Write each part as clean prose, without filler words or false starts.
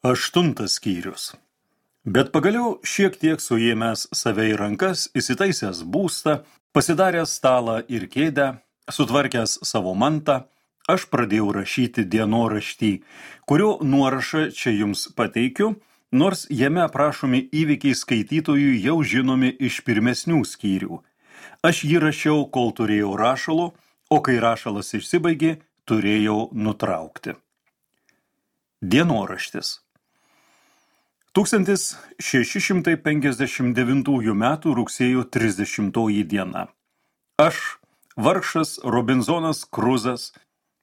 8 skyrius. Bet pagaliau šiek tiek suėmęs save į rankas, įsitaisęs būstą, pasidaręs stalą ir kėdę, sutvarkęs savo mantą, aš pradėjau rašyti dienoraštį, kurio nuorašą čia jums pateikiu, nors jame aprašomi įvykiai skaitytojui jau žinomi iš pirmesnių skyrių. Aš jį rašiau, kol turėjau rašalo, o kai rašalas išsibaigė, turėjau nutraukti. Dienoraštis. 1659 metų rugsėjo 30 diena. Aš, vargšas Robinzonas Kruzas,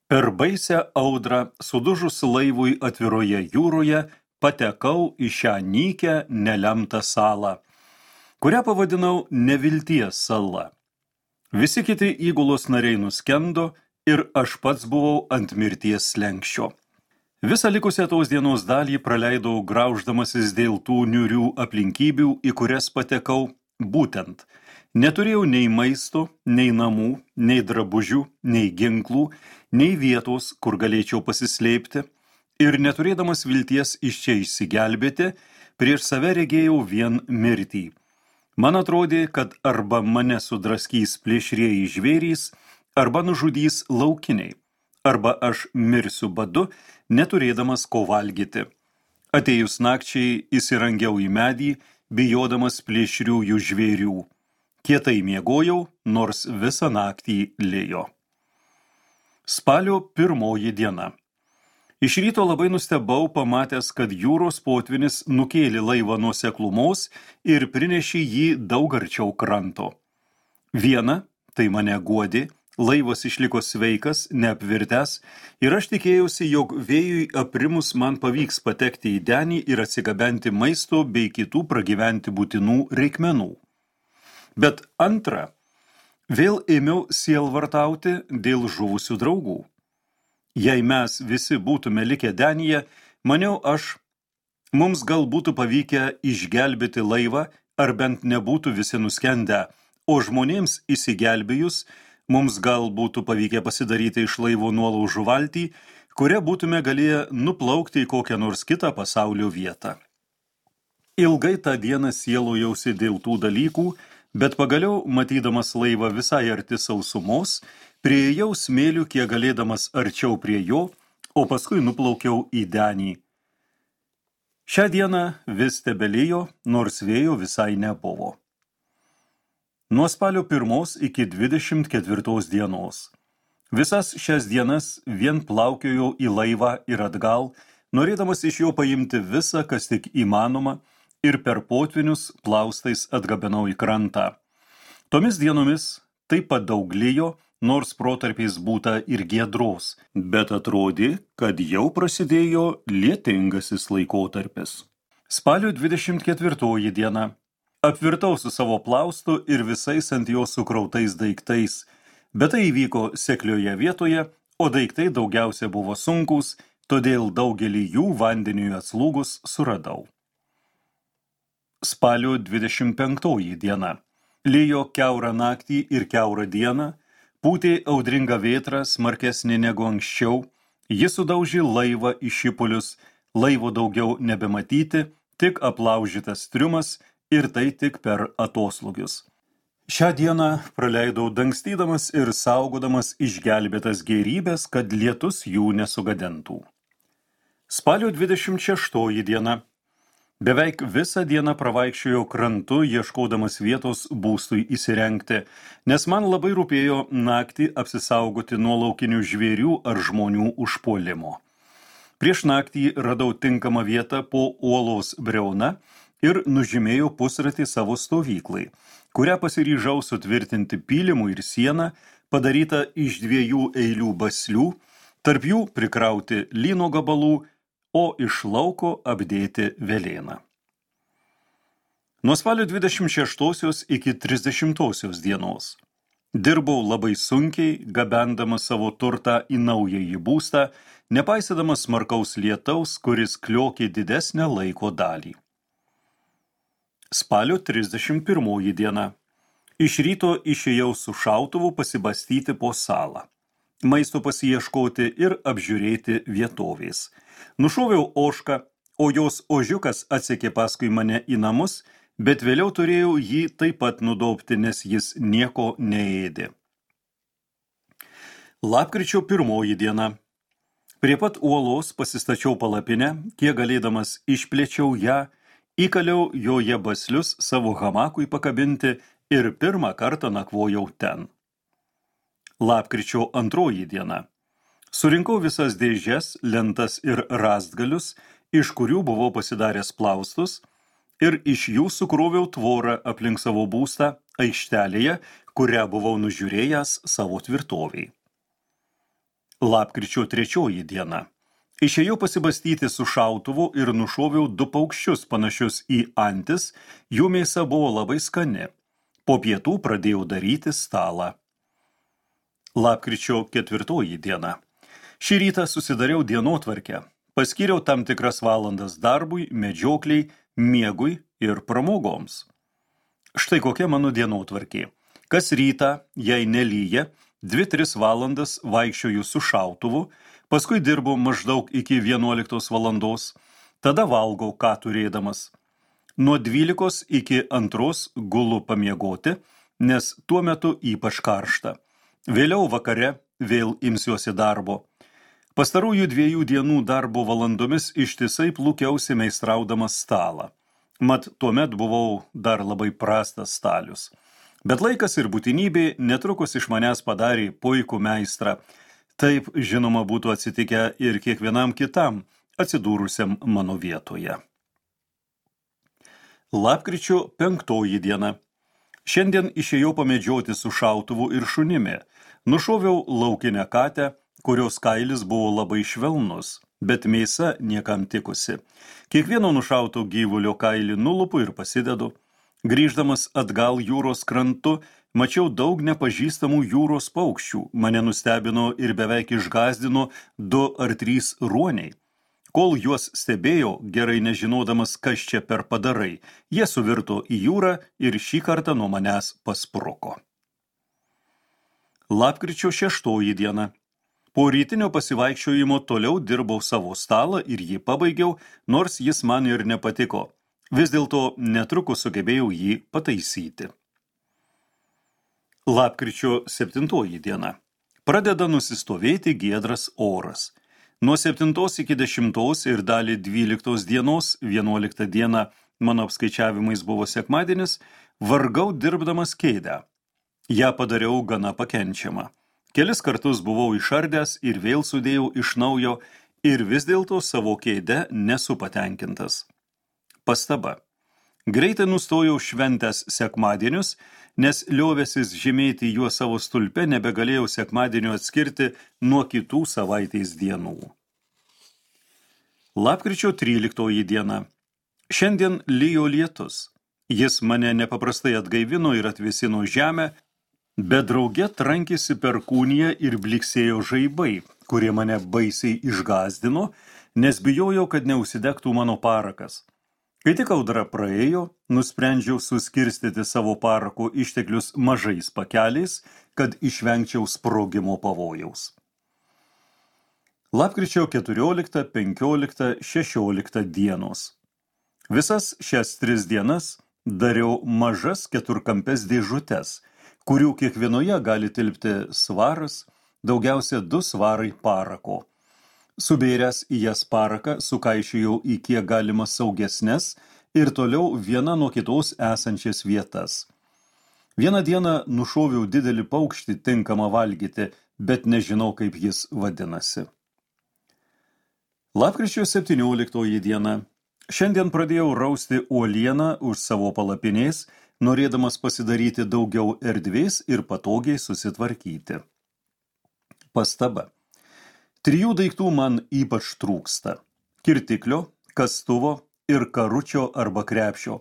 per baisią audrą sudužus laivui atviroje jūroje, patekau į šią nykią nelemtą salą, kurią pavadinau Nevilties sala. Visi kiti įgulos nariai nuskendo ir aš pats buvau ant mirties slenksčio. Visą likusią tos dienos dalį praleidau grauždamasis dėl tų niūrių aplinkybių, į kurias patekau, būtent. Neturėjau nei maisto, nei namų, nei drabužių, nei ginklų, nei vietos, kur galėčiau pasislėpti, ir neturėdamas vilties iš čia išsigelbėti, prieš save regėjau vien mirtį. Man atrodė, kad arba mane sudraskys plėšrieji žvėrys, arba nužudys laukiniai, arba aš mirsiu badu, neturėdamas ko valgyti. Atėjus nakčiai įsirangiau į medį, bijodamas plėšriųjų žvėrių. Kietai miegojau, nors visą naktį lijo. Spalio 1 diena. Iš ryto labai nustebau, pamatęs, kad jūros potvynis nukėlė laivą nuo seklumos ir prinešė jį daug arčiau kranto. Viena, tai mane guodė, laivas išliko sveikas, neapvirtęs, ir aš tikėjausi, jog vėjui aprimus man pavyks patekti į denį ir atsigabenti maisto bei kitų pragyventi būtinų reikmenų. Bet antra, vėl ėmiau sielvartauti dėl žuvusių draugų. Jei mes visi būtume likę denyje, maniau aš, mums gal būtų pavykę išgelbėti laivą, ar bent nebūtų visi nuskendę, o žmonėms įsigelbėjus, mums gal būtų pavykę pasidaryti iš laivo nuolaužų valtį, kuria būtume galėję nuplaukti į kokią nors kitą pasaulio vietą. Ilgai tą dieną sielojausi dėl tų dalykų, bet pagaliau, matydamas laivą visai arti sausumos, priėjau smėlių kiek galėdamas arčiau prie jo, o paskui nuplaukiau į denį. Šią dieną vis tebelijo, nors vėjo visai nebuvo. Nuo spalio 1 iki 24 dienos. Visas šias dienas vien plaukiojau į laivą ir atgal, norėdamas iš jo paimti visą, kas tik įmanoma, ir per potvinius plaustais atgabenau į krantą. Tomis dienomis taip pat daug lijo, nors protarpiais būta ir giedros, bet atrodė, kad jau prasidėjo lietingasis laikotarpis. Spalio 24 diena. Apvirtau su savo plaustu ir visais ant jo sukrautais daiktais, bet tai įvyko seklioje vietoje, o daiktai daugiausia buvo sunkūs, todėl daugelį jų vandeniui atslūgus suradau. Spalio 25 diena. Lijo kiaurą naktį ir kiaurą dieną, pūtė audringa vėtra smarkesnė negu anksčiau, jis sudaužė laivą į šipulius, laivo daugiau nebematyti, tik aplaužytas triumas, ir tai tik per atoslūgius. Šią dieną praleidau dangstydamas ir saugodamas išgelbėtas gėrybės, kad lietus jų nesugadintų. Spalio 26 diena. Beveik visą dieną pravaikščiojau krantu, ieškodamas vietos būstui įsirengti, nes man labai rūpėjo naktį apsisaugoti nuo laukinių žvėrių ar žmonių užpuolimo. Prieš naktį radau tinkamą vietą po uolos briauna ir nužymėjau pusratį savo stovyklai, kurią pasiryžau sutvirtinti pylimu ir sieną, padaryta iš 2 eilių baslių, tarp jų prikrauti lyno gabalų, o iš lauko apdėti velėną. Nuo spalio 26 iki 30 dienos. Dirbau labai sunkiai, gabendamas savo turtą į naująjį būstą, nepaisydamas smarkaus lietaus, kuris kliokė didesnę laiko dalį. Spalio 31 diena. Iš ryto išėjau su šautuvu pasibastyti po salą. Maisto pasiieškoti ir apžiūrėti vietovės. Nušoviau ožką, o jos ožiukas atsekė paskui mane į namus, bet vėliau turėjau jį taip pat nudobti, nes jis nieko neėdė. Lapkričio 1 diena. Prie pat uolos pasistačiau palapinę, kiek galėdamas išplėčiau ją, įkaliau joje baslius savo hamakui pakabinti ir pirmą kartą nakvojau ten. Lapkričio 2 diena. Surinkau visas dėžes, lentas ir rąstgalius, iš kurių buvau pasidaręs plaustus, ir iš jų sukroviau tvorą aplink savo būstą aikštelėje, kurią buvau nužiūrėjęs savo tvirtoviai. Lapkričio 3 diena. Išėjau pasibastyti su šautuvu ir nušoviau 2 paukščius panašius į antis, jų mėsa buvo labai skani. Po pietų pradėjau daryti stalą. Lapkričio 4 diena. Šį rytą susidariau dienotvarkę. Paskyriau tam tikras valandas darbui, medžiokliai, miegui ir pramogoms. Štai kokia mano dienotvarkė. Kas rytą, jei nelyja, 2-3 valandas vaikščioju su šautuvu, paskui dirbu maždaug iki 11 valandos, tada valgau, ką turėdamas. Nuo 12 iki 2 gulu pamiegoti, nes tuo metu ypač karšta. Vėliau vakare vėl imsiuosi darbo. Pastarųjų 2 dienų darbo valandomis ištisai plukiausi meistraudamas stalą. Mat tuomet buvau dar labai prastas stalius. Bet laikas ir būtinybė netrukus iš manęs padarė puikų meistrą. Taip, žinoma, būtų atsitikę ir kiekvienam kitam, atsidūrusiam mano vietoje. Lapkričio 5 diena. Šiandien išėjau pamedžioti su šautuvu ir šunimi. Nušoviau laukinę katę, kurios kailis buvo labai švelnus, bet mėsa niekam tikusi. Kiekvieno nušauto gyvulio kailį nulupu ir pasidedu. Grįždamas atgal jūros krantu, mačiau daug nepažįstamų jūros paukščių. Mane nustebino ir beveik išgąsdino 2 ar 3 ruoniai. Kol juos stebėjau, gerai nežinodamas, kas čia per padarai, jie suvirto į jūrą ir šį kartą nuo manęs paspruko. Lapkričio 6 diena. Po rytinio pasivaikščiojimo toliau dirbau savo stalą ir jį pabaigiau, nors jis man ir nepatiko. Vis dėlto netrukus sugebėjau jį pataisyti. Lapkričio 7 diena. Pradeda nusistovėti giedras oras. Nuo 7 iki 10 ir dalį 12 dienos, 11 diena, mano apskaičiavimais buvo sekmadienis, vargau dirbdamas kėdę. Ja padariau gana pakenčiamą. Kelis kartus buvau išardęs ir vėl sudėjau iš naujo ir vis dėlto savo kėdę nesu patenkintas. Pastaba. Greitai nustojau šventęs sekmadienius, nes liovęsis žymėti juos savo stulpe nebegalėjau sekmadienio atskirti nuo kitų savaitės dienų. Lapkričio 13 diena. Šiandien lijo lietus. Jis mane nepaprastai atgaivino ir atvėsino žemę, bet drauge trankėsi perkūnija ir bliksėjo žaibai, kurie mane baisiai išgąsdino, nes bijojau, kad neužsidegtų mano parakas. Kai tik audra praėjo, nusprendžiau suskirstyti savo parako išteklius mažais pakeliais, kad išvengčiau sprogimo pavojaus. Lapkričio 14, 15, 16 dienos. Visas šias 3 dienas dariau mažas 4-kampes dėžutes, kurių kiekvienoje gali tilpti svaras, daugiausia 2 svarai parako. Subėręs į jas paraką, sukaišėjau į kiek galima saugesnes ir toliau viena nuo kitos esančias vietas. Vieną dieną nušoviau didelį paukštį tinkamą valgyti, bet nežinau, kaip jis vadinasi. Lapkričio 17 diena. Šiandien pradėjau rausti uolieną už savo palapinės, norėdamas pasidaryti daugiau erdvės ir patogiai susitvarkyti. Pastaba. 3 daiktų man ypač trūksta – kirtiklio, kastuvo ir karučio arba krepšio.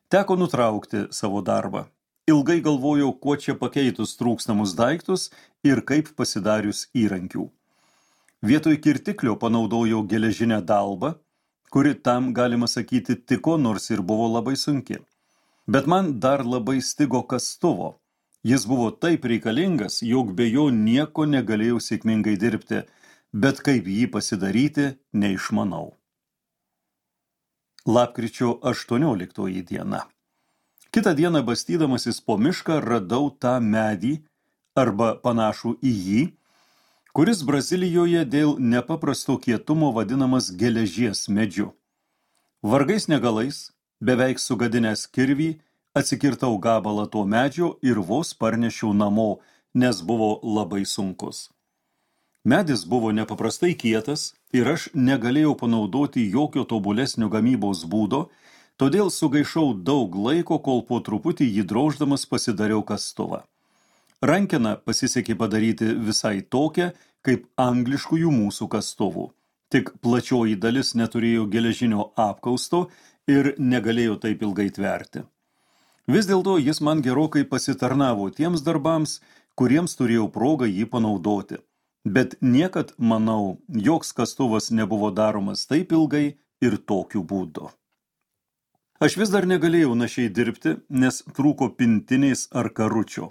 Teko nutraukti savo darbą. Ilgai galvojau, kuo čia pakeitus trūkstamus daiktus ir kaip pasidarius įrankių. Vietoj kirtiklio panaudojau geležinę dalbą, kuri tam, galima sakyti, tiko, nors ir buvo labai sunki. Bet man dar labai stigo kastuvo. Jis buvo taip reikalingas, jog be jo nieko negalėjau sėkmingai dirbti, bet kaip jį pasidaryti, neišmanau. Lapkričio 18 diena. Kitą dieną bastydamasis po mišką radau tą medį arba panašų į jį, kuris Brazilijoje dėl nepaprasto kietumo vadinamas geležies medžiu. Vargais negalais, beveik sugadinęs kirvį, atsikirtau gabalą to medžio ir vos parnešiau namo, nes buvo labai sunkus. Medis buvo nepaprastai kietas ir aš negalėjau panaudoti jokio tobulesnio gamybos būdo, todėl sugaišau daug laiko, kol po truputį jį droždamas pasidariau kastuvą. Rankeną pasisekė padaryti visai tokią, kaip angliškųjų mūsų kastuvų. Tik plačioji dalis neturėjo geležinio apkausto ir negalėjo taip ilgai tverti. Vis dėlto jis man gerokai pasitarnavo tiems darbams, kuriems turėjau progą jį panaudoti. Bet niekad, manau, joks kastuvas nebuvo daromas taip ilgai ir tokiu būdu. Aš vis dar negalėjau našiai dirbti, nes trūko pintinės ar karučio.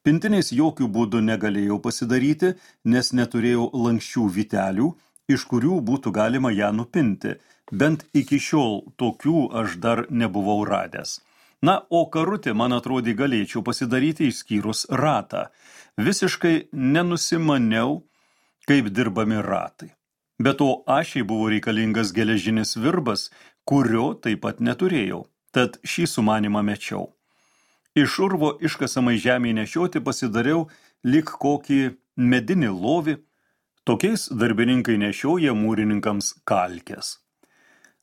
Pintinės jokių būdų negalėjau pasidaryti, nes neturėjau lanksčių vytelių, iš kurių būtų galima ją nupinti, bent iki šiol tokių aš dar nebuvau radęs. Na, o karutį, man atrodė, galėčiau pasidaryti išskyrus ratą. Visiškai nenusimaniau, kaip dirbami ratai. Be to, ašiai buvo reikalingas geležinis virbas, kurio taip pat neturėjau, tad šį sumanimą mečiau. Iš urvo iškasamai žemėje nešioti pasidariau lyg kokį medinį lovį, tokiais darbininkai nešioja mūrininkams kalkes.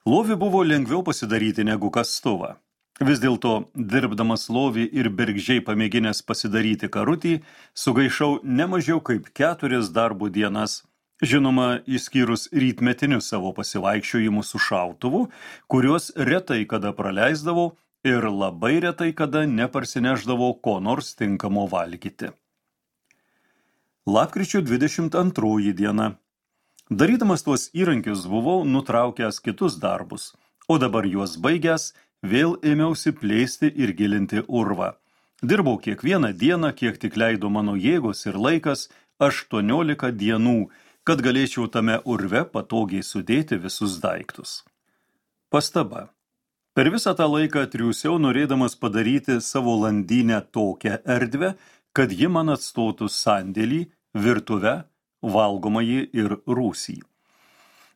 Lovį buvo lengviau pasidaryti negu kastuvą. Vis dėlto, dirbdamas lovį ir bergždžiai pamėginęs pasidaryti karutį, sugaišau nemažiau kaip 4 darbo dienas, žinoma, išskyrus rytmetinius savo pasivaikščiojimus su šautuvu, kuriuos retai kada praleisdavau ir labai retai kada neparsineždavau ko nors tinkamo valgyti. Lapkričio 22 diena. Darydamas tuos įrankius buvau nutraukęs kitus darbus, o dabar juos baigęs, vėl ėmiausi plėsti ir gilinti urvą. Dirbau kiekvieną dieną, kiek tik leido mano jėgos ir laikas, 18 dienų, kad galėčiau tame urve patogiai sudėti visus daiktus. Pastaba. Per visą tą laiką triūsiau norėdamas padaryti savo landynę tokią erdvę, kad ji man atstotų sandėlį, virtuvę, valgomąjį ir rūsį.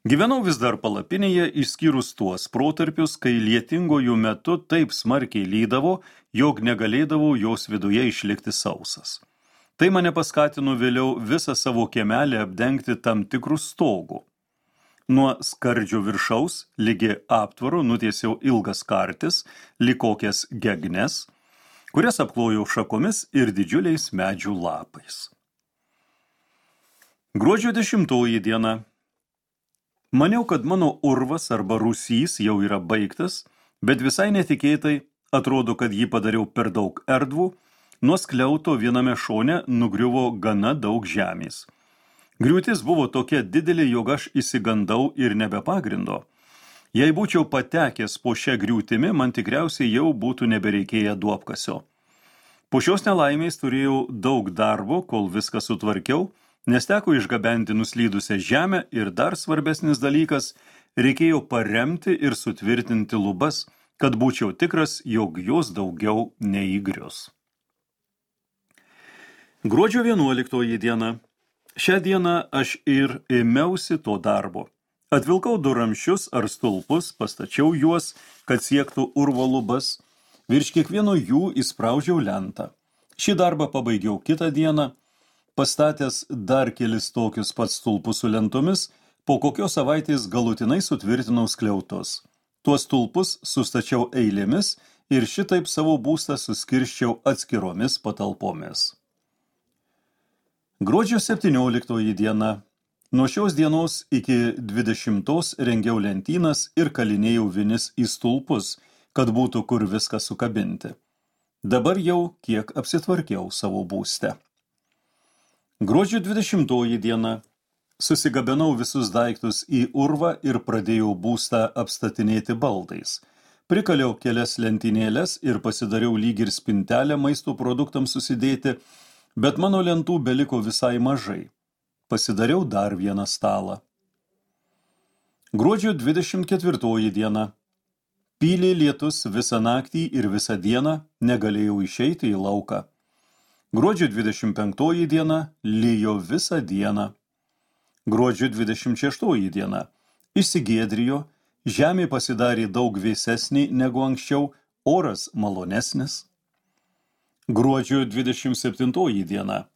Gyvenau vis dar palapinėje, išskyrus tuos protarpius, kai lietingojų metu taip smarkiai lydavo, jog negalėdavau jos viduje išlikti sausas. Tai mane paskatino vėliau visą savo kiemelį apdengti tam tikrų stogų. Nuo skardžio viršaus, lygi aptvaro, nutiesiau ilgas kartis, lyg kokias gegnes, kurias apklojau šakomis ir didžiuliais medžių lapais. Gruodžio 10 diena. Maniau, kad mano urvas arba rūsys jau yra baigtas, bet visai netikėtai, atrodo, kad jį padariau per daug erdvų, nuo skliauto viename šone nugriuvo gana daug žemės. Griūtis buvo tokia didelė, jog aš išsigandau ir nebepagrindo. Jei būčiau patekęs po šią griūtimi, man tikriausiai jau būtų nebereikėję duobkasio. Po šios nelaimės turėjau daug darbo, kol viską sutvarkiau, nes teko išgabenti nuslydusią žemę ir dar svarbesnis dalykas, reikėjo paremti ir sutvirtinti lubas, kad būčiau tikras, jog jos daugiau neįgrius. Gruodžio 11 diena. Šią dieną aš ir ėmiausi to darbo. Atvilkau 2 ramsčius ar stulpus, pastačiau juos, kad siektų urvo lubas, virš kiekvieno jų įspraudžiau lentą. Šį darbą pabaigiau kitą dieną, pastatęs dar kelis tokius pats stulpus su lentomis, po kokios savaitės galutinai sutvirtinau skliautus. Tuos stulpus sustačiau eilėmis ir šitaip savo būstą suskirsčiau atskiromis patalpomis. Gruodžio 17 diena. Nuo šios dienos iki 20 rengiau lentynas ir kalinėjau vinis į stulpus, kad būtų kur viską sukabinti. Dabar jau kiek apsitvarkiau savo būste. Gruodžio 20 diena. Susigabenau visus daiktus į urvą ir pradėjau būstą apstatinėti baldais. Prikaliau kelias lentynėles ir pasidariau lyg ir spintelę maisto produktams susidėti, bet mano lentų beliko visai mažai. Pasidariau dar vieną stalą. Gruodžio 24 diena. Pylė lietus visą naktį ir visą dieną, negalėjau išeiti į lauką. Gruodžio 25 diena lijo visą dieną. Gruodžio 26 diena išsigiedrijo, žemė pasidarė daug vėsesnė negu anksčiau, oras malonesnis. Gruodžio 27 diena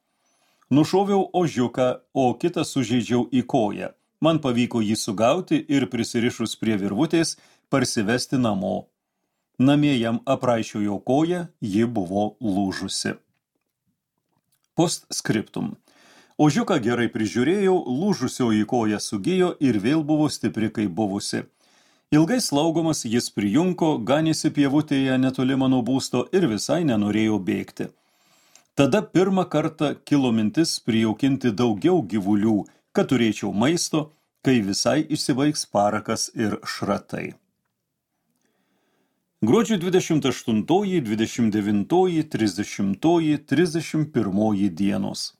nušoviau ožiuką, o kitą sužeidžiau į koją. Man pavyko jį sugauti ir prisirišus prie virvutės parsivesti namo. Namie jam apraišiojo koją, ji buvo lūžusi. Postscriptum. Ožiuką gerai prižiūrėjau, lūžusioji koja sugijo ir vėl buvo stipri kaip buvusi. Ilgai slaugomas jis prijunko, ganėsi pievutėje netoli mano būsto ir visai nenorėjo bėgti. Tada pirmą kartą kilo mintis prijaukinti daugiau gyvulių, kad turėčiau maisto, kai visai išsibaigs parakas ir šratai. Gruodžio 28, 29, 30, 31 dienos.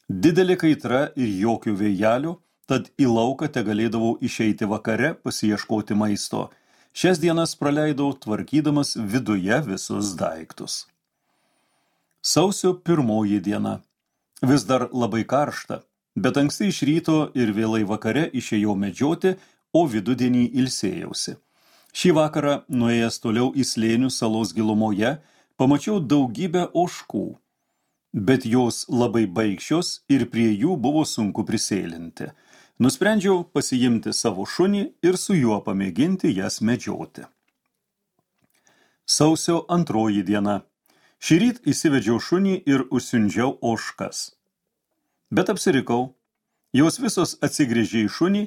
Didelė kaitra ir jokių vėjelių, tad į lauką tegalėdavau išeiti vakare pasiieškoti maisto. Šias dienas praleidau tvarkydamas viduje visus daiktus. Sausio 1 diena. Vis dar labai karšta, bet anksti iš ryto ir vėlai vakare išėjau medžioti, o vidudienį ilsėjausi. Šį vakarą, nuėjęs toliau į slėnių salos gilumoje, pamačiau daugybę ožkų, bet jos labai baikščios ir prie jų buvo sunku prisėlinti. Nusprendžiau pasiimti savo šunį ir su juo pamėginti jas medžioti. Sausio 2 diena. Šįryt įsivedžiau šunį ir užsiundžiau ožkas. Bet apsirikau. Jos visos atsigręžė į šunį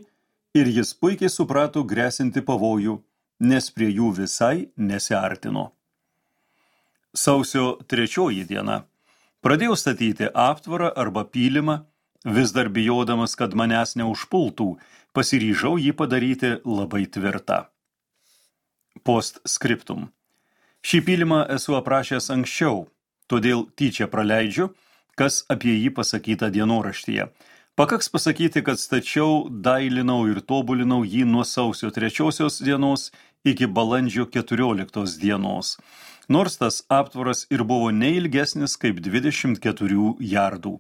ir jis puikiai suprato grėsinti pavojų, nes prie jų visai nesiartino. Sausio 3 diena. Pradėjau statyti aptvarą arba pylimą, vis dar bijodamas, kad manęs neužpultų, pasiryžau jį padaryti labai tvirtą. Postscriptum. Šį pylimą esu aprašęs anksčiau, todėl tyčia praleidžiu, kas apie jį pasakyta dienoraštyje. Pakaks pasakyti, kad stačiau, dailinau ir tobulinau jį nuo sausio 3 dienos iki balandžio 14 dienos, nors tas aptvaras ir buvo neilgesnis kaip 24 jardų.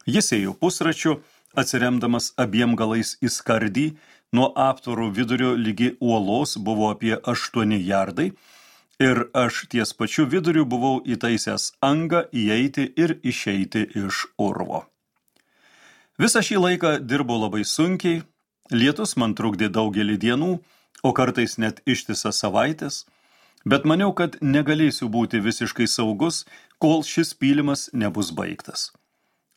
Jis ėjo pusračiu, atsiremdamas abiem galais į skardį, nuo aptvaro vidurio ligi uolos buvo apie 8 jardai, ir aš ties pačiu viduriu buvau įtaisęs angą įeiti ir išeiti iš urvo. Visą šį laiką dirbau labai sunkiai, lietus man trukdė daugelį dienų, o kartais net ištisas savaitės, bet maniau, kad negalėsiu būti visiškai saugus, kol šis pylimas nebus baigtas.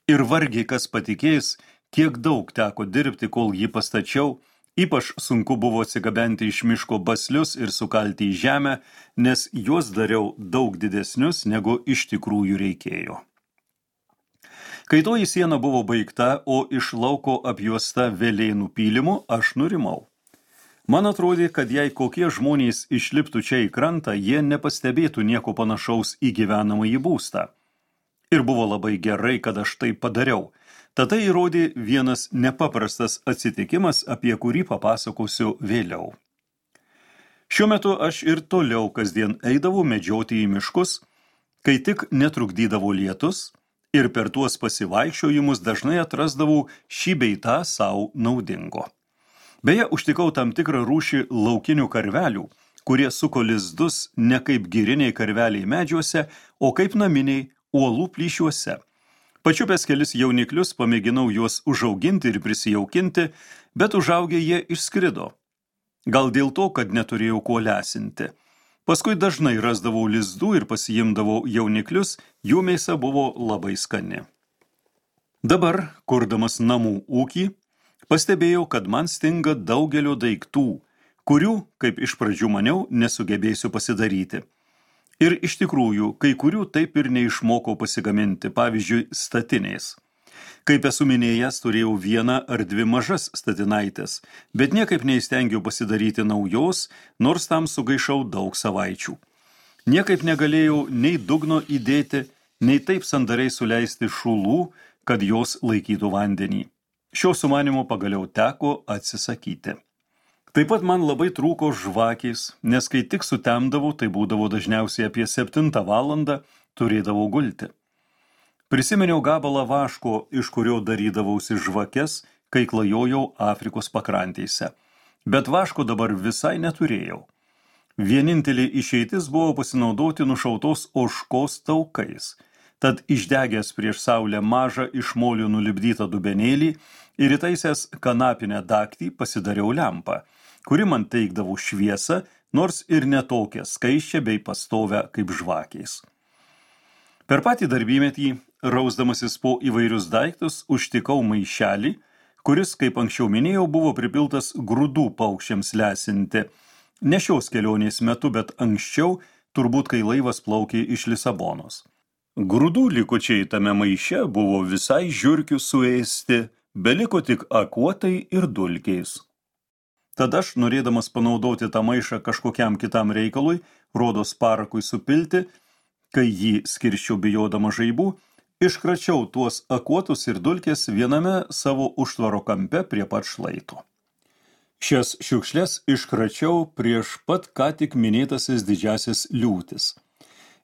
Ir vargiai kas patikės, kiek daug teko dirbti, kol jį pastačiau. Ypač sunku buvo atsigabenti iš miško baslius ir sukalti į žemę, nes juos dariau daug didesnius, negu iš tikrųjų reikėjo. Kai toji siena buvo baigta, o iš lauko apjuosta velėnų pylimu, aš nurimau. Man atrodė, kad jei kokie žmonės išliptų čia į krantą, jie nepastebėtų nieko panašaus į gyvenamąjį būstą. Ir buvo labai gerai, kad aš tai padariau. Tad tai įrodė vienas nepaprastas atsitikimas, apie kurį papasakosiu vėliau. Šiuo metu aš ir toliau kasdien eidavau medžioti į miškus, kai tik netrukdydavo lietus, ir per tuos pasivaikščiojimus dažnai atrasdavau šį bei tą savo naudingo. Beje, užtikau tam tikrą rūšį laukinių karvelių, kurie suko lizdus ne kaip giriniai karveliai medžiuose, o kaip naminiai uolų plyšiuose. Pačiupęs kelis jauniklius pamėginau juos užauginti ir prisijaukinti, bet užaugę jie išskrido. Gal dėl to, kad neturėjau kuo lesinti. Paskui dažnai rasdavau lizdų ir pasiimdavau jauniklius, jų mėsa buvo labai skani. Dabar, kurdamas namų ūkį, pastebėjau, kad man stinga daugelio daiktų, kurių, kaip iš pradžių maniau, nesugebėsiu pasidaryti. Ir iš tikrųjų, kai kurių taip ir neišmokau pasigaminti, pavyzdžiui, statinės. Kaip esu minėjęs, turėjau 1 ar 2 mažas statinaitės, bet niekaip neįstengiau pasidaryti naujos, nors tam sugaišau daug savaičių. Niekaip negalėjau nei dugno įdėti, nei taip sandariai suleisti šulų, kad jos laikytų vandenį. Šio sumanimo pagaliau teko atsisakyti. Taip pat man labai trūko žvakės, nes kai tik sutemdavau, tai būdavo dažniausiai apie 7 valandą, turėdavau gulti. Prisiminiau gabalą vaško, iš kurio darydavausi žvakes, kai klajojau Afrikos pakrantėse. Bet vaško dabar visai neturėjau. Vienintelė išeitis buvo pasinaudoti nušautos ožkos taukais. Tad išdegęs prieš saulę mažą iš molio nulipdytą dubenėlį ir įtaisęs kanapinę daktį pasidariau lempą, kuri man teikdavo šviesą, nors ir netokią skaisčią bei pastovę kaip žvakės. Per patį darbymetį, rausdamasis po įvairius daiktus, užtikau maišelį, kuris, kaip anksčiau minėjau, buvo pripiltas grūdų paukščiams lesinti. Ne šios kelionės metu, bet anksčiau, turbūt kai laivas plaukė iš Lisabonos. Grūdų likučiai tame maiše buvo visai žiurkių suėsti, beliko tik akuotai ir dulkiais. Tada aš, norėdamas panaudoti tą maišą kažkokiam kitam reikalui, rodos parakui supilti, kai jį skirsčiau bijodama žaibų, iškračiau tuos akuotus ir dulkės viename savo užtvaro kampe prie pat šlaito. Šias šiukšles iškračiau prieš pat ką tik minėtasis didžiasis liūtis.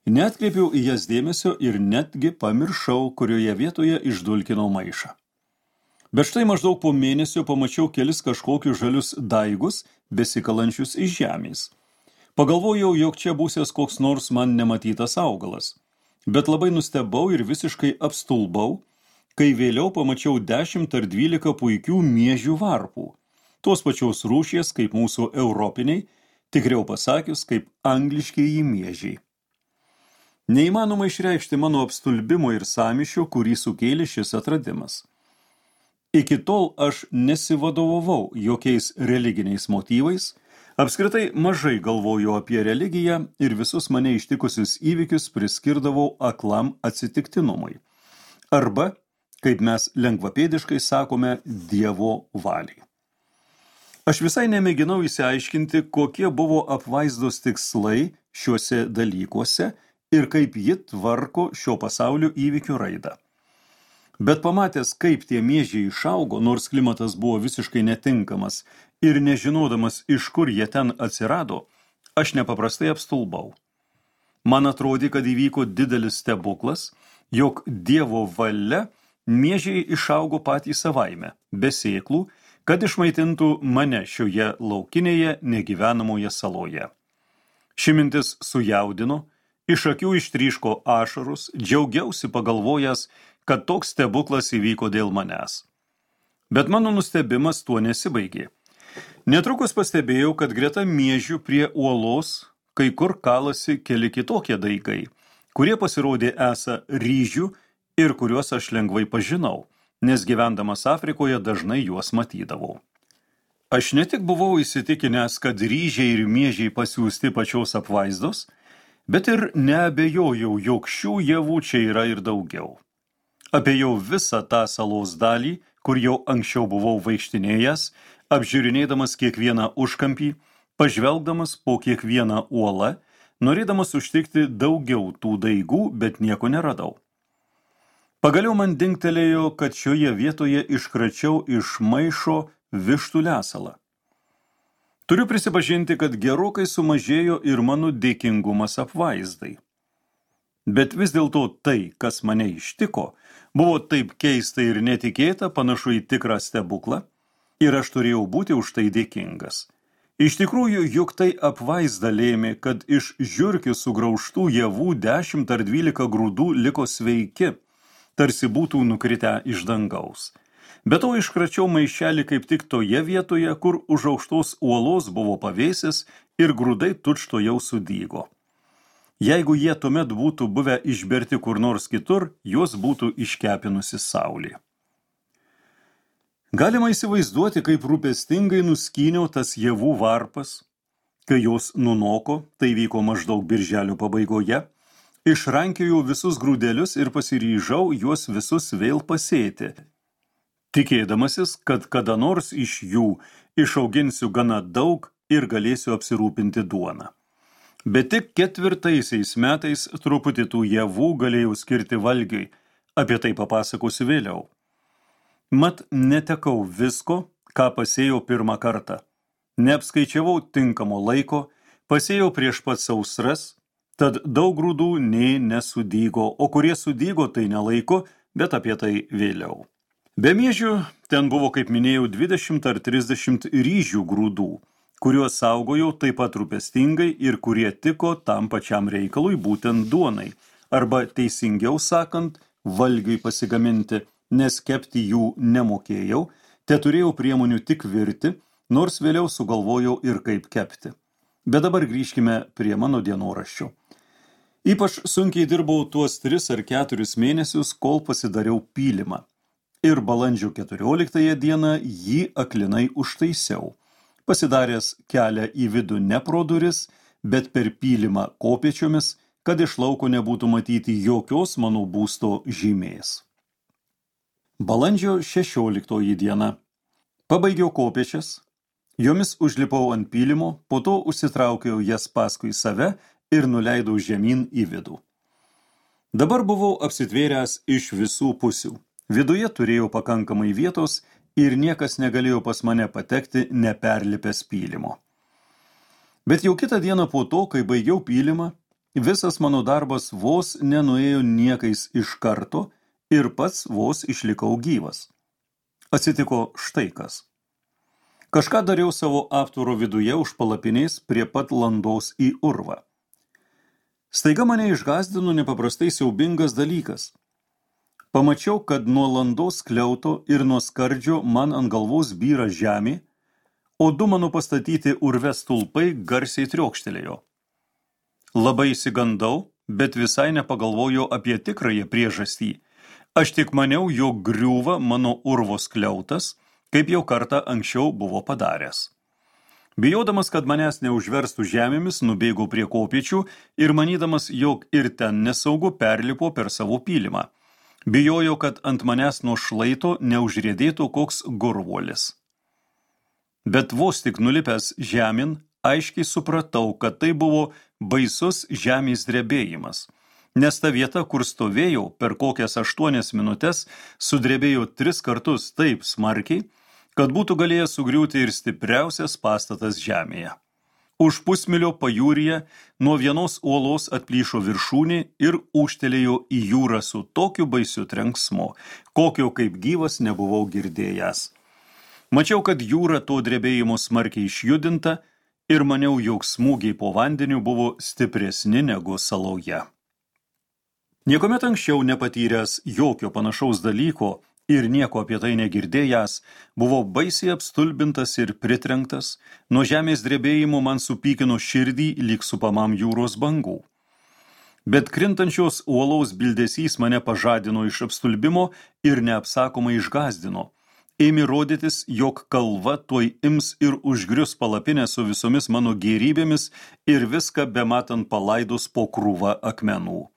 Neatkreipiau į jas dėmesio ir netgi pamiršau, kurioje vietoje išdulkinau maišą. Bet štai maždaug po mėnesio pamačiau kelis kažkokius žalius daigus, besikalančius iš žemės. Pagalvojau, jog čia būsės koks nors man nematytas augalas. Bet labai nustebau ir visiškai apstulbau, kai vėliau pamačiau 10 ar 12 puikių miežių varpų. Tos pačios rūšies kaip mūsų europiniai, tikriau pasakius, kaip angliškieji miežiai. Neįmanoma išreikšti mano apstulbimo ir sąmyšio, kurį sukėlė šis atradimas. Iki tol aš nesivadovavau jokiais religiniais motyvais, apskritai mažai galvojau apie religiją ir visus mane ištikusius įvykius priskirdavau aklam atsitiktinumui. Arba, kaip mes lengvapėdiškai sakome, Dievo valiai. Aš visai nemėginau įsiaiškinti, kokie buvo apvaizdos tikslai šiuose dalykuose ir kaip ji tvarko šio pasaulio įvykių raidą. Bet pamatęs, kaip tie miežiai išaugo, nors klimatas buvo visiškai netinkamas ir nežinodamas, iš kur jie ten atsirado, aš nepaprastai apstulbau. Man atrodė, kad įvyko didelis stebuklas, jog Dievo valia miežiai išaugo patys savaime, be sėklų, kad išmaitintų mane šioje laukinėje negyvenamoje saloje. Ši mintis sujaudino, iš akių ištryško ašarus, džiaugiausi pagalvojęs, kad toks stebuklas įvyko dėl manęs. Bet mano nustebimas tuo nesibaigė. Netrukus pastebėjau, kad greta miežių prie uolos kai kur kalasi keli kitokie daigai, kurie pasirodė esą ryžių ir kuriuos aš lengvai pažinau, nes gyvendamas Afrikoje dažnai juos matydavau. Aš ne tik buvau įsitikinęs, kad ryžiai ir miežiai pasiųsti pačios apvaizdos, bet ir neabejojau, jog šių javų čia yra ir daugiau. Apėjau visą tą salos dalį, kur jau anksčiau buvau vaikštinėjęs, apžiūrinėdamas kiekvieną užkampį, pažvelgdamas po kiekvieną uolą, norėdamas užtikti daugiau tų daigų, bet nieko neradau. Pagaliau man dingtelėjo, kad šioje vietoje iškračiau iš maišo vištų lesalą. Turiu prisipažinti, kad gerokai sumažėjo ir mano dėkingumas apvaizdai. Bet vis dėlto tai, kas mane ištiko, buvo taip keista ir netikėta, panašu į tikrą stebuklą, ir aš turėjau būti už tai dėkingas. Iš tikrųjų, juk tai apvaizda lėmė, kad iš žiurkių sugraužtų javų 10 ar 12 grūdų liko sveiki, tarsi būtų nukritę iš dangaus. Be to iškračiau maišelį kaip tik toje vietoje, kur už aukštos uolos buvo pavėsis ir grūdai tučtuojau sudygo. Jeigu jie tuomet būtų buvę išberti kur nors kitur, juos būtų iškepinusi saulė. Galima įsivaizduoti, kaip rūpestingai nuskyniau tas javų varpas, kai jos nunoko, tai vyko maždaug birželio pabaigoje, išrankiojau visus grūdelius ir pasiryžau juos visus vėl pasėti, tikėdamasis, kad kada nors iš jų išauginsiu gana daug ir galėsiu apsirūpinti duoną. Bet tik 4 metais truputį tų javų galėjau skirti valgiui, apie tai papasakosiu vėliau. Mat netekau visko, ką pasėjau pirmą kartą. Neapskaičiavau tinkamo laiko, pasėjau prieš pat sausras, tad daug grūdų nė nesudygo, o kurie sudygo tai nelaiko, bet apie tai vėliau. Be miežių ten buvo, kaip minėjau, 20 ar 30 ryžių grūdų, kuriuos saugojau taip pat rūpestingai ir kurie tiko tam pačiam reikalui, būtent duonai, arba teisingiau sakant, valgiui pasigaminti, nes kepti jų nemokėjau, teturėjau priemonių tik virti, nors vėliau sugalvojau ir kaip kepti. Bet dabar grįžkime prie mano dienoraščių. Ypač sunkiai dirbau tuos 3 ar 4 mėnesius, kol pasidariau pylimą. Ir balandžio 14 dieną jį aklinai užtaisiau, pasidaręs kelią į vidų ne pro duris, bet per pylimą kopėčiomis, kad iš lauko nebūtų matyti jokios mano būsto žymės. Balandžio 16 diena. Pabaigiau kopėčias, jomis užlipau ant pylimo, po to užsitraukiau jas paskui save ir nuleidau žemyn į vidų. Dabar buvau apsitvėręs iš visų pusių. Viduje turėjau pakankamai vietos ir niekas negalėjo pas mane patekti neperlipęs pylimo. Bet jau kitą dieną po to, kai baigiau pylimą, visas mano darbas vos nenuėjo niekais iš karto ir pats vos išlikau gyvas. Atsitiko štai kas. Kažką dariau savo aptvaro viduje už palapinės prie pat landos į urvą. Staiga mane išgąsdino nepaprastai siaubingas dalykas. Pamačiau, kad nuo landos skliauto ir nuo skardžio man ant galvos byra žemė, o 2 mano pastatyti urve stulpai garsiai triokštelėjo. Labai išsigandau, bet visai nepagalvojau apie tikrąją priežastį. Aš tik maniau, jog griūva mano urvo skliautas, kaip jau kartą anksčiau buvo padaręs. Bijodamas, kad manęs neužverstų žemėmis, nubėgau prie kopėčių ir manydamas, jog ir ten nesaugu, perlipo per savo pylimą. Bijojau, kad ant manęs nuo šlaito neužriedėtų koks gurvuolis. Bet vos tik nulipęs žemyn, aiškiai supratau, kad tai buvo baisus žemės drebėjimas, nes ta vieta, kur stovėjau, per kokias 8 minutes sudrebėjo 3 kartus taip smarkiai, kad būtų galėjęs sugriūti ir stipriausias pastatas žemėje. Už pusmilio pajūryje nuo vienos uolos atplyšo viršūnė ir ūžtelėjo į jūrą su tokiu baisiu trenksmu, kokio kaip gyvas nebuvau girdėjęs. Mačiau, kad jūra to drebėjimo smarkiai išjudinta ir maniau, jog smūgiai po vandeniu buvo stipresni negu saloje. Niekuomet anksčiau nepatyręs jokio panašaus dalyko ir nieko apie tai negirdėjęs, buvau baisiai apstulbintas ir pritrenktas, nuo žemės drebėjimo man supykino širdį lyg supamam jūros bangų. Bet krintančios uolaus bildesys mane pažadino iš apstulbimo ir neapsakomai išgąsdino. Ėmė rodytis, jog kalva tuoj ims ir užgrius palapinę su visomis mano gėrybėmis ir viską bematant palaidos po krūvą akmenų.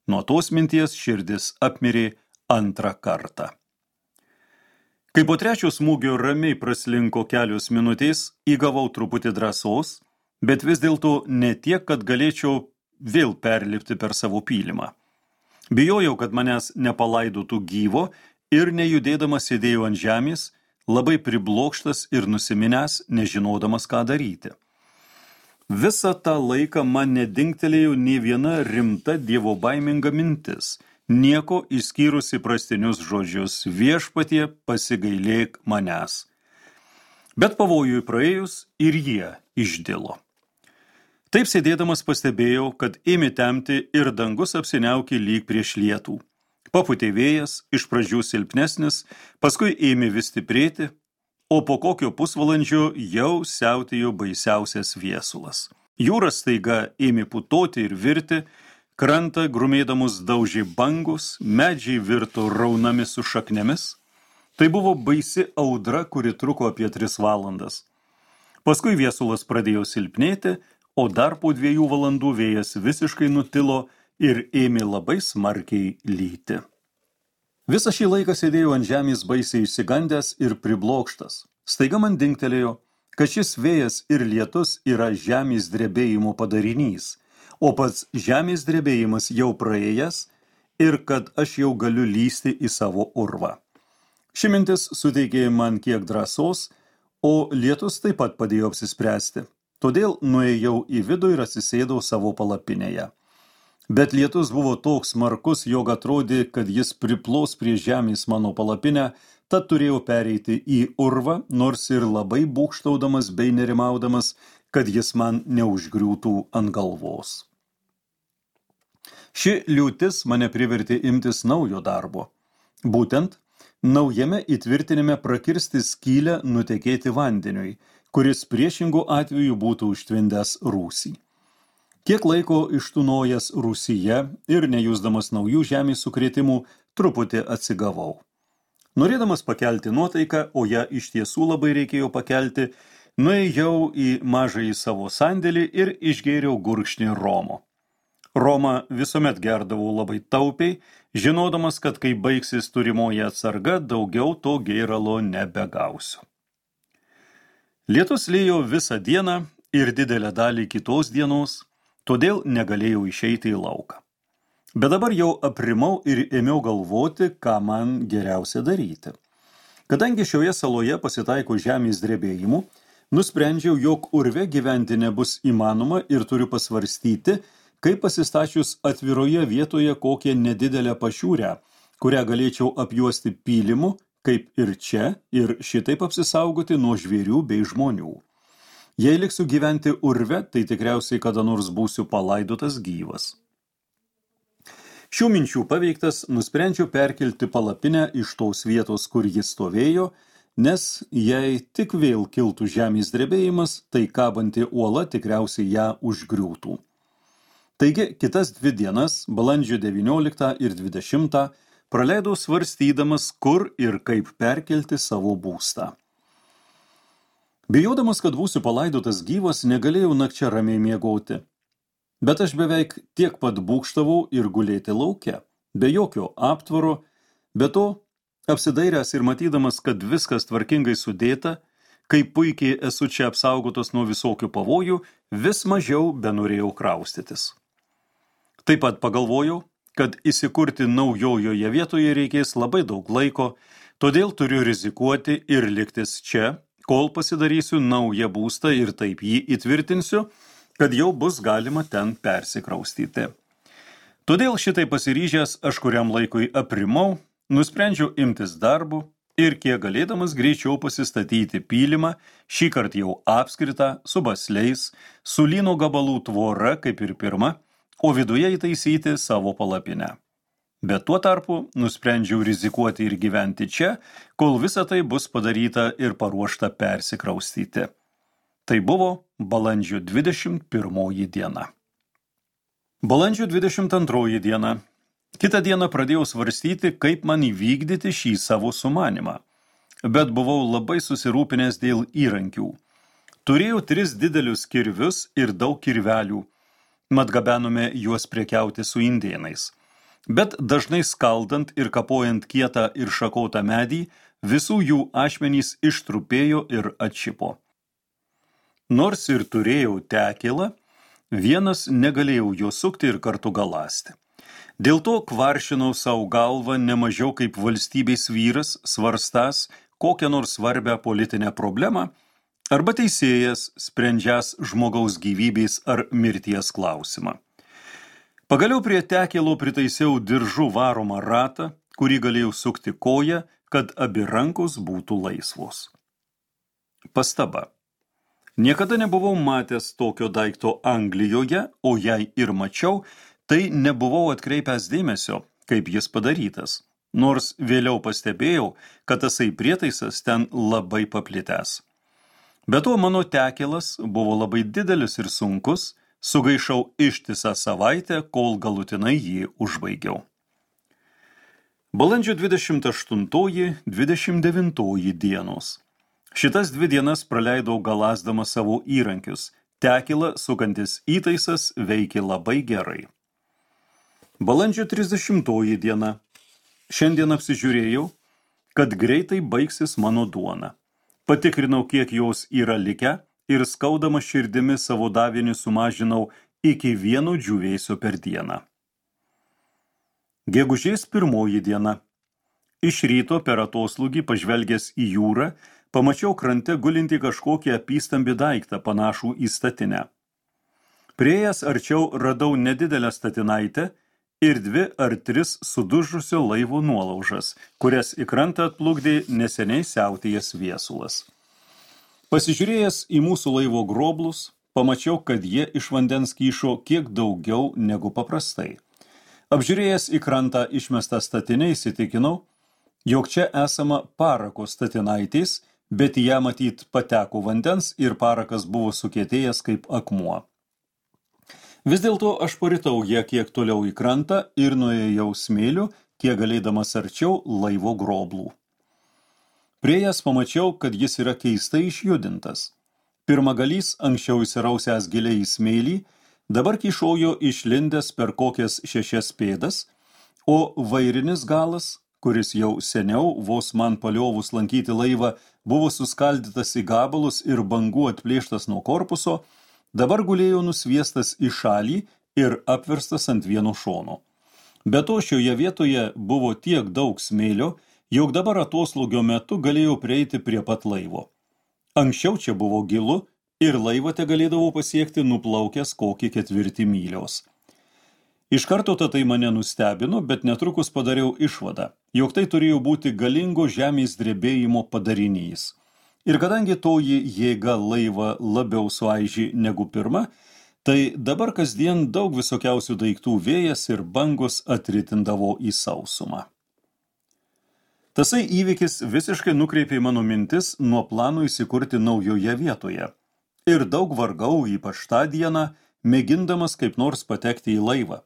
Nuo tos minties širdis apmirė 2 kartą. Kai po 3 smūgio ramiai praslinko kelios minutės, įgavau truputį drąsos, bet vis dėlto ne tiek, kad galėčiau vėl perlipti per savo pylimą. Bijojau, kad manęs nepalaidotų gyvo ir nejudėdamas sėdėjau ant žemės, labai priblokštas ir nusiminęs, nežinodamas, ką daryti. Visą tą laiką man nedingtelėjo nė viena rimta dievobaiminga mintis, nieko išskyrus įprastinius žodžius viešpatie pasigailėk manęs. Bet pavojui praėjus ir jie išdilo. Taip sėdėdamas pastebėjau, kad ėmė temti ir dangus apsiniaukė lyg prieš lietų. Papūtė vėjas, iš pradžių silpnesnis, paskui ėmė vis stiprėti, o po kokio pusvalandžio jau siautėjo baisiausias viesulas. Jūra staiga ėmė putoti ir virti, krantą grumėdamus daužė bangus, medžiai virto raunami su šaknėmis. Tai buvo baisi audra, kuri truko apie 3 valandas. Paskui viesulas pradėjo silpnėti, o dar po 2 valandų vėjas visiškai nutilo ir ėmė labai smarkiai lyti. Visą šį laiką sėdėjau ant žemės baisiai išsigandęs ir priblokštas. Staiga man dingtelėjo, kad šis vėjas ir lietus yra žemės drebėjimo padarinys, o pats žemės drebėjimas jau praėjęs ir kad aš jau galiu lysti į savo urvą. Ši mintis suteikė man kiek drąsos, O lietus taip pat padėjo apsispręsti. Todėl nuėjau į vidų ir atsisėdau savo palapinėje. Bet lietus buvo toks smarkus, jog atrodė, kad jis priplos prie žemės mano palapinę, tad turėjau pereiti į urvą, nors ir labai būgštaudamas bei nerimaudamas, kad jis man neužgriūtų ant galvos. Ši liūtis mane privertė imtis naujo darbo. Būtent, naujame įtvirtinime prakirsti skylę nutekėti vandeniui, kuris priešingų atveju būtų užtvindęs rūsį. Kiek laiko ištūnojęs rūsyje ir nejusdamas naujų žemės sukrėtimų, truputį atsigavau. Norėdamas pakelti nuotaiką, o ją iš tiesų labai reikėjo pakelti, nuėjau į mažąjį savo sandėlį ir išgėriau gurkšnį romo. Romą visuomet gerdavau labai taupiai, žinodamas, kad kai baigsis turimoji atsarga, daugiau to gėralo nebegausiu. Lietus liejo visą dieną ir didelę dalį kitos dienos, todėl negalėjau išeiti į lauką. Bet dabar jau aprimau ir ėmiau galvoti, ką man geriausia daryti. Kadangi šioje saloje pasitaiko žemės drebėjimų, nusprendžiau, jog urve gyventi nebus įmanoma ir turiu pasvarstyti, kaip pasistačius atviroje vietoje kokią nedidelę pašiūrę, kurią galėčiau apjuosti pylimu, kaip ir čia, ir šitaip apsisaugoti nuo žvėrių bei žmonių. Jei liksiu gyventi urve, tai tikriausiai kada nors būsiu palaidotas gyvas. Šių minčių paveiktas, nusprendžiau perkelti palapinę iš tos vietos, kur jis stovėjo, nes jei tik vėl kiltų žemės drebėjimas, tai kabanti uola tikriausiai ją užgriūtų. Taigi, kitas 2 dienas, balandžio 19 ir 20, praleidau svarstydamas, kur ir kaip perkelti savo būstą. Bijodamas, kad būsiu palaidotas gyvas, negalėjau nakčia ramiai miegoti. Bet aš beveik tiek pat būgštavau ir gulėti lauke, be jokio aptvaro, be to, apsidairęs ir matydamas, kad viskas tvarkingai sudėta, kaip puikiai esu čia apsaugotas nuo visokių pavojų, vis mažiau benorėjau kraustytis. Taip pat pagalvojau, kad įsikurti naujojoje vietoje reikės labai daug laiko, todėl turiu rizikuoti ir liktis čia, kol pasidarysiu naują būstą ir taip jį įtvirtinsiu, kad jau bus galima ten persikraustyti. Todėl šitai pasiryžęs aš kuriam laikui aprimau, nusprendžiau imtis darbų ir kiek galėdamas greičiau pasistatyti pylimą, šįkart jau apskritą, su basliais, su lyno gabalų tvora kaip ir pirma, o viduje įtaisyti savo palapinę. Bet tuo tarpu nusprendžiau rizikuoti ir gyventi čia, kol visa tai bus padaryta ir paruošta persikraustyti. Tai buvo balandžio 21 diena. Balandžio 22 diena. Kitą dieną pradėjau svarstyti, kaip man įvykdyti šį savo sumanimą. Bet buvau labai susirūpinęs dėl įrankių. Turėjau 3 didelius kirvius ir daug kirvelių. Mat gabenome juos prekiauti su indėnais. Bet dažnai skaldant ir kapojant kietą ir šakotą medį, visų jų ašmenys ištrupėjo ir atšipo. Nors ir turėjau tekilą, vienas negalėjau jo sukti ir kartu galąsti. Dėl to kvaršinau savo galvą nemažiau kaip valstybės vyras, svarstas kokią nors svarbią politinę problemą, arba teisėjas, sprendžias žmogaus gyvybės ar mirties klausimą. Pagaliau prie tekilo pritaisiau diržu varomą ratą, kurį galėjau sukti koją, kad abi rankos būtų laisvos. Pastaba. Niekada nebuvau matęs tokio daikto Anglijoje, o jei ir mačiau, tai nebuvau atkreipęs dėmesio, kaip jis padarytas, nors vėliau pastebėjau, kad tasai prietaisas ten labai paplitęs. Be to mano tekilas buvo labai didelis ir sunkus, sugaišau ištisą savaitę, kol galutinai jį užbaigiau. Balandžio 28-29 dienos. Šitas 2 dienas praleidau galasdamas savo įrankius. Tekilą sukantis įtaisas veikė labai gerai. Balandžio 30 diena. Šiandien apsižiūrėjau, kad greitai baigsis mano duona. Patikrinau, kiek jos yra likę, ir skaudama širdimi savo davinį sumažinau iki 1 džiūvėsio per dieną. Gegužės 1 diena. Iš ryto per atoslūgį pažvelgęs į jūrą, pamačiau krante gulinti kažkokį apystambį daiktą panašų į statinę. Priėjęs arčiau radau nedidelę statinaitę ir 2 ar 3 sudužusio laivo nuolaužas, kurias į krantą atplukdė neseniai siautėjęs viesulas. Pasižiūrėjęs į mūsų laivo groblus, pamačiau, kad jie iš vandens kyšo kiek daugiau negu paprastai. Apžiūrėjęs į krantą išmestą statinę įsitikinau, jog čia esama parako statinaitės, bet į ją matyt pateko vandens ir parakas buvo sukietėjęs kaip akmuo. Vis dėlto aš paritau ją kiek toliau į krantą ir nuėjau smėliu, kiek galėdamas arčiau laivo groblų. Priėjęs pamačiau, kad jis yra keistai išjudintas. Pirmagalys anksčiau įsirausęs giliai į smėlį, dabar kyšojo išlindęs per kokias 6 pėdas, o vairinis galas, kuris jau seniau, vos man paliovus lankyti laivą, buvo suskaldytas į gabalus ir bangų atplėštas nuo korpuso, dabar gulėjo nusviestas į šalį ir apverstas ant vieno šono. Be to šioje vietoje buvo tiek daug smėlio, jog dabar atoslūgio metu galėjau prieiti prie pat laivo. Anksčiau čia buvo gilu ir laivą tegalėdavau pasiekti nuplaukęs kokį 4 mylios. Iš karto tai mane nustebino, bet netrukus padariau išvadą, jog tai turėjo būti galingo žemės drebėjimo padarinys. Ir kadangi toji jėga laivą labiau suaižė negu pirma, tai dabar kasdien daug visokiausių daiktų vėjas ir bangos atritindavo į sausumą. Tasai įvykis visiškai nukreipė mano mintis nuo plano įsikurti naujoje vietoje. Ir daug vargau, ypač tą dieną, mėgindamas kaip nors patekti į laivą.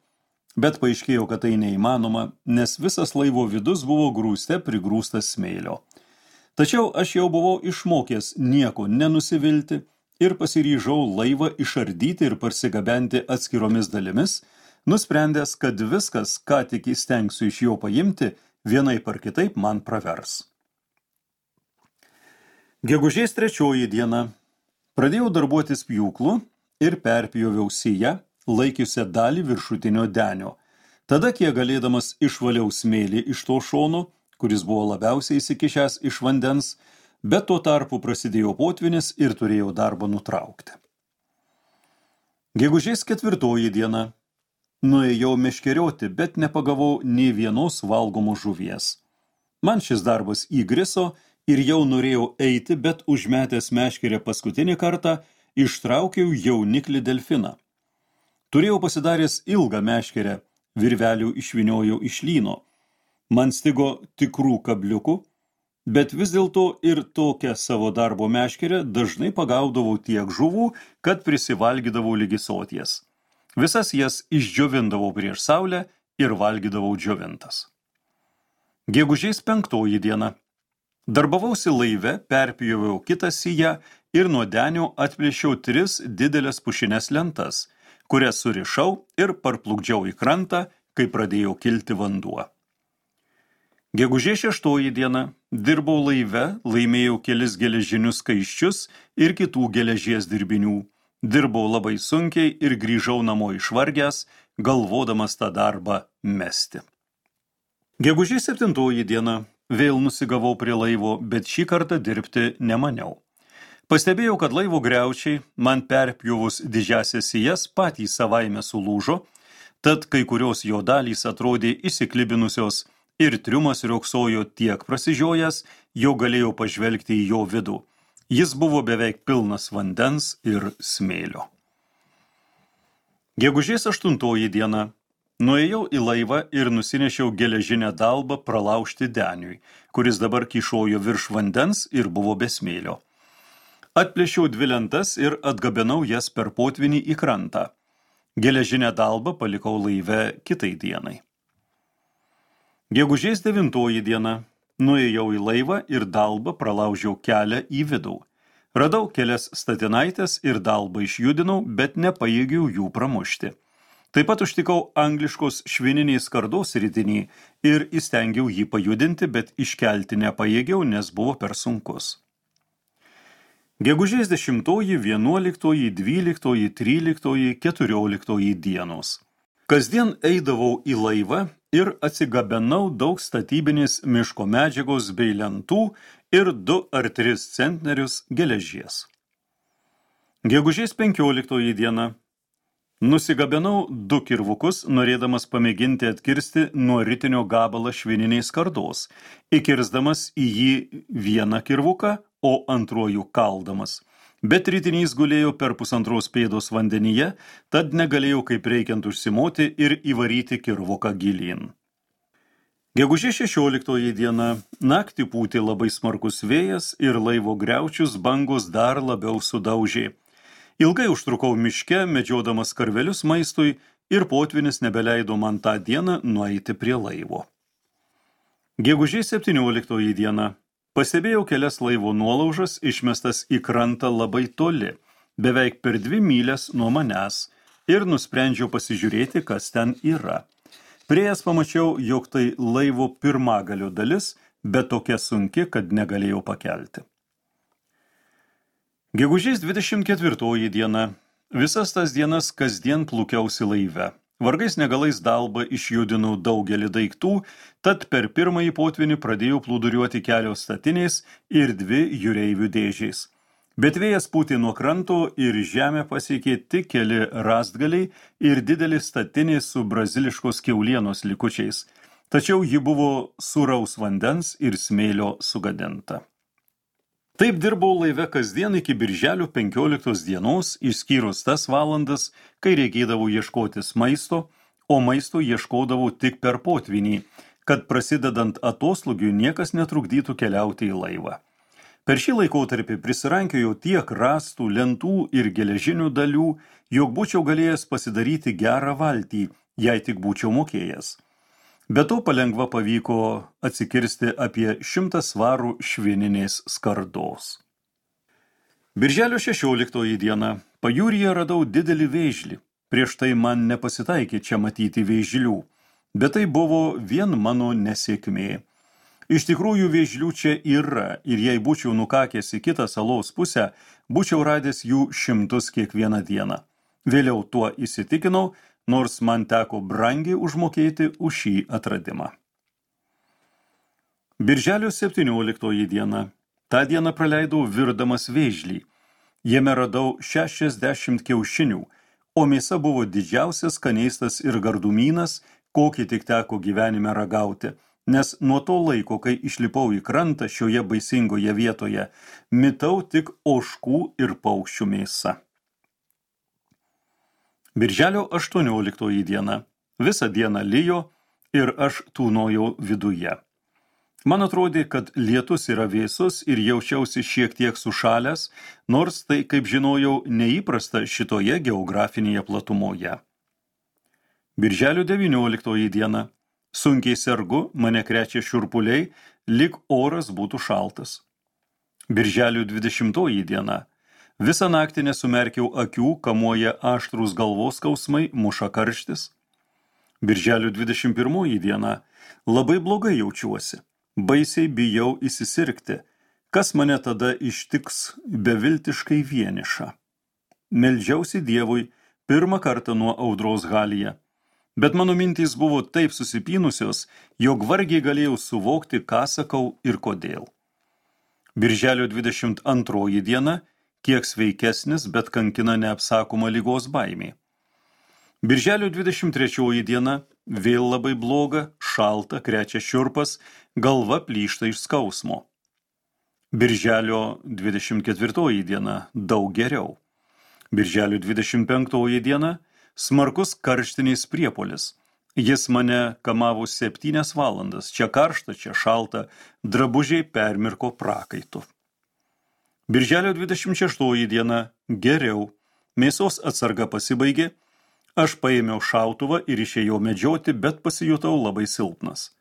Bet paaiškėjo, kad tai neįmanoma, nes visas laivo vidus buvo grūste prigrūstas smėlio. Tačiau aš jau buvau išmokęs nieko nenusivilti ir pasiryžau laivą išardyti ir parsigabenti atskiromis dalimis, nusprendęs, kad viskas, ką tik įstengsiu iš jo paimti, vienaip ar kitaip man pravers. Gegužės 3 diena pradėjau darbuotis pjūklu ir perpjoviau siją, laikiusią dalį viršutinio denio. Tada, kiek galėdamas, išvaliau smėlį iš to šono, kuris buvo labiausiai įsikišęs iš vandens, bet tuo tarpu prasidėjo potvynis ir turėjau darbą nutraukti. Gegužės 4 diena nuėjau meškerioti, bet nepagavau nė vienos valgomos žuvies. Man šis darbas įgriso ir jau norėjau eiti, bet užmetęs meškerę paskutinį kartą ištraukiau jauniklį delfiną. Turėjau pasidaręs ilgą meškerę, virvelių išvyniojau iš lyno. Man stigo tikrų kabliukų, bet vis dėlto ir tokią savo darbo meškerę dažnai pagaudavau tiek žuvų, kad prisivalgydavau ligi soties. Visas jas išdžiovindavau prieš saulę ir valgydavau džiovintas. Gegužės 5 diena. Darbavausi laive, perpjoviau kitą siją ir nuo denio atplėšiau 3 didelės pušines lentas, kurias surišau ir parplukdžiau į krantą, kai pradėjo kilti vanduo. Gegužės 6 diena dirbau laive, laimėjau kelis geležinius skaiščius ir kitų geležies dirbinių. Dirbau labai sunkiai ir grįžau namo išvargęs, galvodamas tą darbą mesti. Gegužės 7 diena vėl nusigavau prie laivo, bet šį kartą dirbti nemaniau. Pastebėjau, kad laivo griaučiai man perpjovus didžiąsias sijas patys savaime sulūžo, tad kai kurios jo dalys atrodė įsiklibinusios ir triumas riogsojo tiek prasižiojęs, jau galėjau pažvelgti į jo vidų. Jis buvo beveik pilnas vandens ir smėlio. Gegužės 8 diena nuėjau į laivą ir nusinešiau geležinę dalbą pralaužti deniui, kuris dabar kyšojo virš vandens ir buvo be smėlio. Atplėšiau 2 lentas ir atgabenau jas per potvinį į krantą. Geležinę dalbą palikau laive kitai dienai. Gegužės 9 diena nuėjau į laivą ir dalbą pralaužiau kelią į vidų. Radau kelias statinaitės ir dalbą išjudinau, bet nepajėgiau jų pramušti. Taip pat užtikau angliškos švininės skardos ritinį ir įstengiau jį pajudinti, bet iškelti nepajėgiau, nes buvo per sunkus. Gegužės 10, 11, 12, 13, 14 dienos. Kasdien eidavau į laivą ir atsigabenau daug statybinės miško medžiagos bei lentų ir 2 ar 3 centnerius geležies. Gegužės 15 diena nusigabenau 2 kirvukus, norėdamas pamėginti atkirsti nuo ritinio gabalą švininiais skardos, įkirsdamas į jį vieną kirvuką, o antruoju kaldamas. Bet ritinys gulėjo per 1,5 pėdos vandenyje, tad negalėjau kaip reikiant užsimoti ir įvaryti kirvuką gilyn. Gegužės 16 diena naktį pūtė labai smarkus vėjas ir laivo griaučius bangos dar labiau sudaužė. Ilgai užtrukau miške, medžiodamas karvelius maistui ir potvynis nebeleido man tą dieną nueiti prie laivo. Gegužės 17 diena pastebėjau kelias laivo nuolaužas išmestas į krantą labai toli, beveik per 2 mylias nuo manęs, ir nusprendžiau pasižiūrėti, kas ten yra. Priėjęs pamačiau, jog tai laivo pirmagalio dalis, bet tokia sunki, kad negalėjau pakelti. Gegužės 24 diena. Visas tas dienas kasdien plūkiausi laive. Vargais negalais dalba išjudinau daugelį daiktų, tad per pirmąjį potvynį pradėjau plūduriuoti kelios statinės ir 2 jūreivių dėžės. Bet vėjas pūtė nuo kranto ir žemę pasiekė tik keli rąstgaliai ir didelė statinė su braziliškos kiaulienos likučiais, tačiau ji buvo sūraus vandens ir smėlio sugadinta. Taip dirbau laive kasdien iki birželio 15 dienos, išskyrus tas valandas, kai reikėdavo ieškotis maisto, o maisto ieškodavau tik per potvynį, kad prasidedant atoslūgiui niekas netrukdytų keliauti į laivą. Per šį laikotarpį prisirankėjau tiek rąstų, lentų ir geležinių dalių, jog būčiau galėjęs pasidaryti gerą valtį, jei tik būčiau mokėjęs. Be to palengva pavyko atsikirsti apie 100 svarų švininės skardos. Birželio 16 diena pajūryje radau didelį vėžlį. Prieš tai man nepasitaikė čia matyti vėžlių, bet tai buvo vien mano nesėkmė. Iš tikrųjų vėžlių čia yra ir jei būčiau nukakęs į kitą salos pusę, būčiau radęs jų 100 kiekvieną dieną. Vėliau tuo įsitikinau, nors man teko brangiai užmokėti už šį atradimą. Birželio 17 diena. Ta diena praleidau virdamas vėžlį. Jame radau 60 kiaušinių, o mėsa buvo didžiausias skanėstas ir gardumynas, kokį tik teko gyvenime ragauti, nes nuo to laiko, kai išlipau į krantą šioje baisingoje vietoje, mitau tik ožkų ir paukščių mėsą. Birželio 18 diena. Visą dieną lijo ir aš tūnojau viduje. Man atrodė, kad lietus yra vėsus ir jaučiausi šiek tiek sušalęs, nors tai, kaip žinojau, neįprasta šitoje geografinėje platumoje. Birželio 19 diena. Sunkiai sergu, mane krečia šiurpuliai, lyg oras būtų šaltas. Birželio 20 diena. Visą naktį nesumerkiau akių, kamuoja aštrūs galvos skausmai, muša karštis. Birželio 21 diena. Labai blogai jaučiuosi. Baisiai bijau įsisirgti. Kas mane tada ištiks beviltiškai vienišą? Meldžiausi Dievui pirmą kartą nuo audros Halyje. Bet mano mintys buvo taip susipynusios, jog vargiai galėjau suvokti, ką sakau ir kodėl. Birželio 22 diena, kiek sveikesnis, bet kankina neapsakoma ligos baimė. Birželio 23 diena, vėl labai bloga, šalta, krečia šiurpas, galva plyšta iš skausmo. Birželio 24 diena, daug geriau. Birželio 25 diena, smarkus karštinis priepuolis. Jis mane kamavo 7 valandas, čia karšta, čia šalta, drabužiai permirko prakaitu. Birželio 26 diena, geriau, mėsos atsarga pasibaigė, aš paėmiau šautuvą ir išėjau medžioti, bet pasijutau labai silpnas.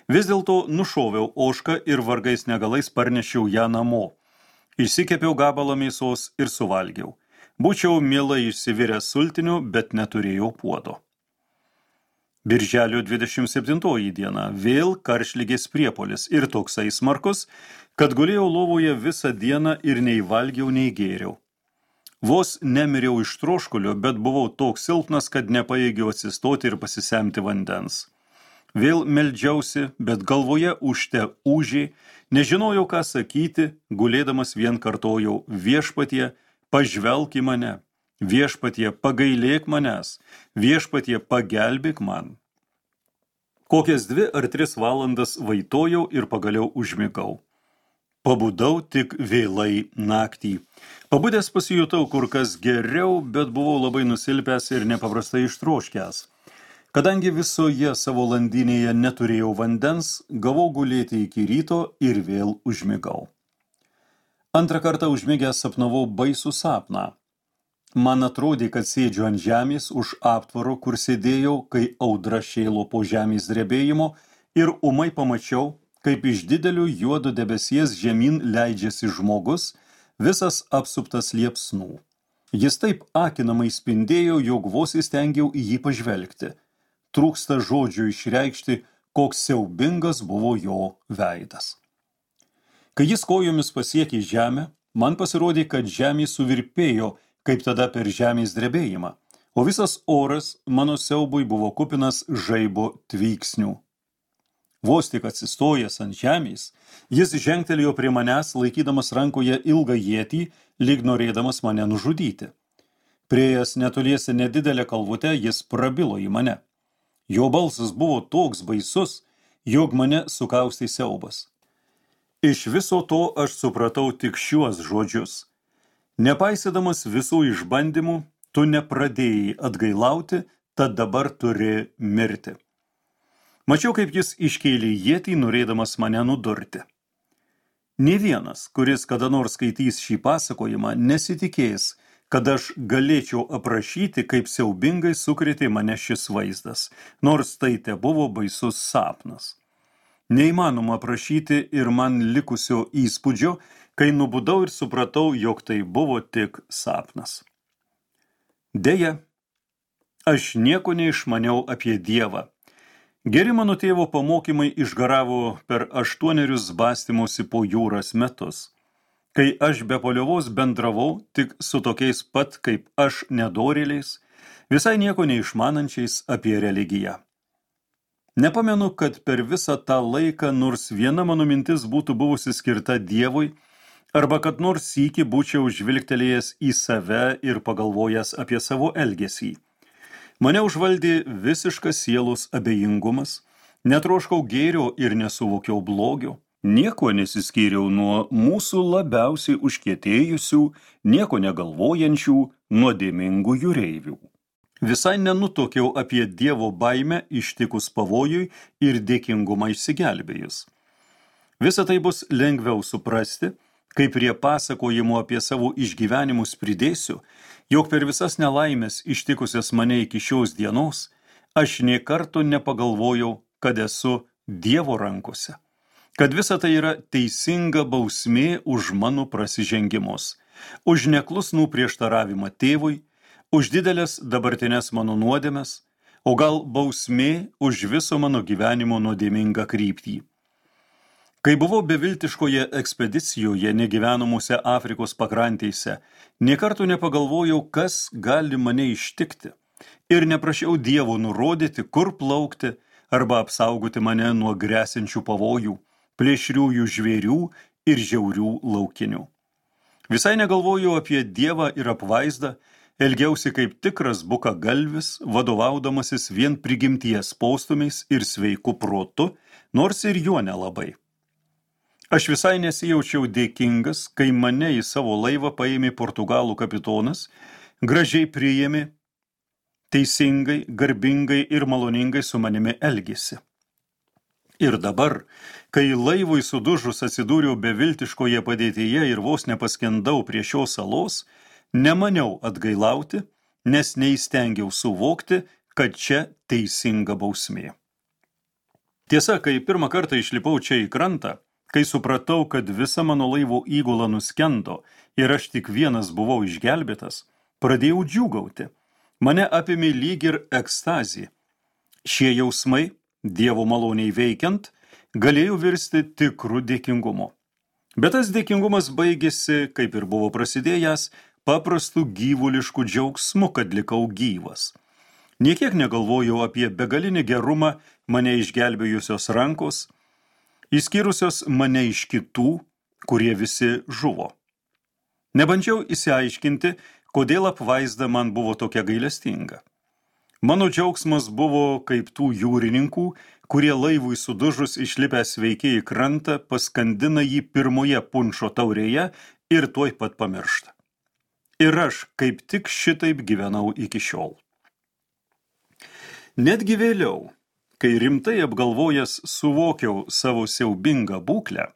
Vis dėlto nušoviau ožką ir vargais negalais parnešiau ją namo. Išsikepiau gabalą mėsos ir suvalgiau. Būčiau mielai išsiviręs sultinių, bet neturėjau puodo. Birželio 27 diena, vėl karštligės priepuolis ir toksai smarkus, kad gulėjau lovoje visą dieną ir nei valgiau, nei gėriau. Vos nemiriau iš troškulio, bet buvau toks silpnas, kad nepajėgiau atsistoti ir pasisemti vandens. Vėl meldžiausi, bet galvoje ūžte ūžė, Nežinojau, ką sakyti, gulėdamas vien kartojau: Viešpatie, pažvelk į mane, Viešpatie, pagailėk manęs, Viešpatie, pagelbėk man. Kokias 2 ar 3 valandas vaitojau ir pagaliau užmigau. Pabudau tik vėlai naktį. Pabudęs pasijutau kur kas geriau, bet buvau labai nusilpęs ir nepaprastai ištroškęs. Kadangi visoje savo landinėje neturėjau vandens, gavau gulėti iki ryto ir vėl užmigau. Antrą kartą užmigęs sapnavau baisų sapną. Man atrodė, kad sėdžiu ant žemės už aptvaro, kur sėdėjau, kai audra šėlo po žemės drebėjimo, ir ūmai pamačiau, kaip iš didelių juodo debesies žemyn leidžiasi žmogus, visas apsuptas liepsnų. Jis taip akinamai spindėjo, jog vos įstengiau į jį pažvelgti. Trūksta žodžių išreikšti, koks siaubingas buvo jo veidas. Kai jis kojomis pasiekė žemę, man pasirodė, kad žemė suvirpėjo, kaip tada per žemės drebėjimą, o visas oras mano siaubui buvo kupinas žaibo tvyksnių. Vos tik atsistojęs ant žemės, jis žengtelėjo prie manęs, laikydamas rankoje ilgą ietį, lyg norėdamas mane nužudyti. Priėjęs netoliese nedidelę kalvutę, jis prabilo į mane. Jo balsas buvo toks baisus, jog mane sukaustė siaubas. Iš viso to aš supratau tik šiuos žodžius: Nepaisydamas visų išbandymų, tu nepradėjai atgailauti, tad dabar turi mirti. Mačiau, kaip jis iškėlė ietį, norėdamas mane nudurti. Nė vienas, kuris kada nors skaitys šį pasakojimą, nesitikės, kad aš galėčiau aprašyti, kaip siaubingai sukrėtė mane šis vaizdas, nors tai tebuvo baisus sapnas. Neįmanoma aprašyti ir man likusio įspūdžio, kai nubudau ir supratau, jog tai buvo tik sapnas. Deja, aš nieko neišmaniau apie Dievą. Geri mano tėvo pamokymai išgaravo per 8 bastymosi po jūras metus, kai aš be paliovos bendravau tik su tokiais pat kaip aš nedorėliais, visai nieko neišmanančiais apie religiją. Nepamenu, kad per visą tą laiką nors viena mano mintis būtų buvusi skirta Dievui, arba kad nors sykį būčiau žvilgtelėjęs į save ir pagalvojęs apie savo elgesį. Mane užvaldė visiškas sielos abejingumas, netroškau gėrio ir nesuvokiau blogio, nieko nesiskyriau nuo mūsų labiausiai užkietėjusių, nieko negalvojančių, nuodėmingų jūreivių. Visai nenutuokiau apie Dievo baimę ištikus pavojui ir dėkingumą išsigelbėjus. Visa tai bus lengviau suprasti, kai prie pasakojimų apie savo išgyvenimus pridėsiu, jog per visas nelaimės ištikusias mane iki šios dienos, aš nė karto nepagalvojau, kad esu Dievo rankose, kad visa tai yra teisinga bausmė už mano prasižengimus, už neklusnų prieštaravimą tėvui, už didelės dabartinės mano nuodėmes, o gal bausmė už viso mano gyvenimo nuodėmingą kryptį. Kai buvau beviltiškoje ekspedicijoje negyvenamuose Afrikos pakrantėse, nė karto nepagalvojau, kas gali mane ištikti, ir neprašiau Dievo nurodyti, kur plaukti arba apsaugoti mane nuo gresiančių pavojų, plėšriųjų žvėrių ir žiaurių laukinių. Visai negalvojau apie Dievą ir apvaizdą, elgiausi kaip tikras bukagalvis, vadovaudamasis vien prigimties postūmiais ir sveiku protu, nors ir juo nelabai. Aš visai nesijaučiau dėkingas, kai mane į savo laivą paėmė Portugalų kapitonas, gražiai priėmė, teisingai, garbingai ir maloningai su manimi elgėsi. Ir dabar, kai laivui sudužus atsidūriau beviltiškoje padėtyje ir vos nepaskendau prie šios salos, nemaniau atgailauti, nes neįstengiau suvokti, kad čia teisinga bausmė. Tiesa, kai pirmą kartą išlipau čia į krantą, kai supratau, kad visa mano laivo įgula nuskendo ir aš tik vienas buvau išgelbėtas, pradėjau džiūgauti. Mane apėmė lyg ir ekstazė. Šie jausmai, Dievo maloniai veikiant, galėjo virsti tikru dėkingumu. Bet tas dėkingumas baigėsi, kaip ir buvo prasidėjęs, paprastu gyvulišku džiaugsmu, kad likau gyvas. Niekiek negalvojau apie begalinį gerumą mane išgelbėjusios rankos, išskyrusios mane iš kitų, kurie visi žuvo. Nebandžiau įsiaiškinti, kodėl apvaizda man buvo tokia gailestinga. Mano džiaugsmas buvo kaip tų jūrininkų, kurie laivui sudužus išlipę sveiki į krantą, paskandina jį pirmoje punšo taurėje ir tuoj pat pamiršta. Ir aš kaip tik šitaip gyvenau iki šiol. Netgi vėliau, kai rimtai apgalvojęs suvokiau savo siaubingą būklę,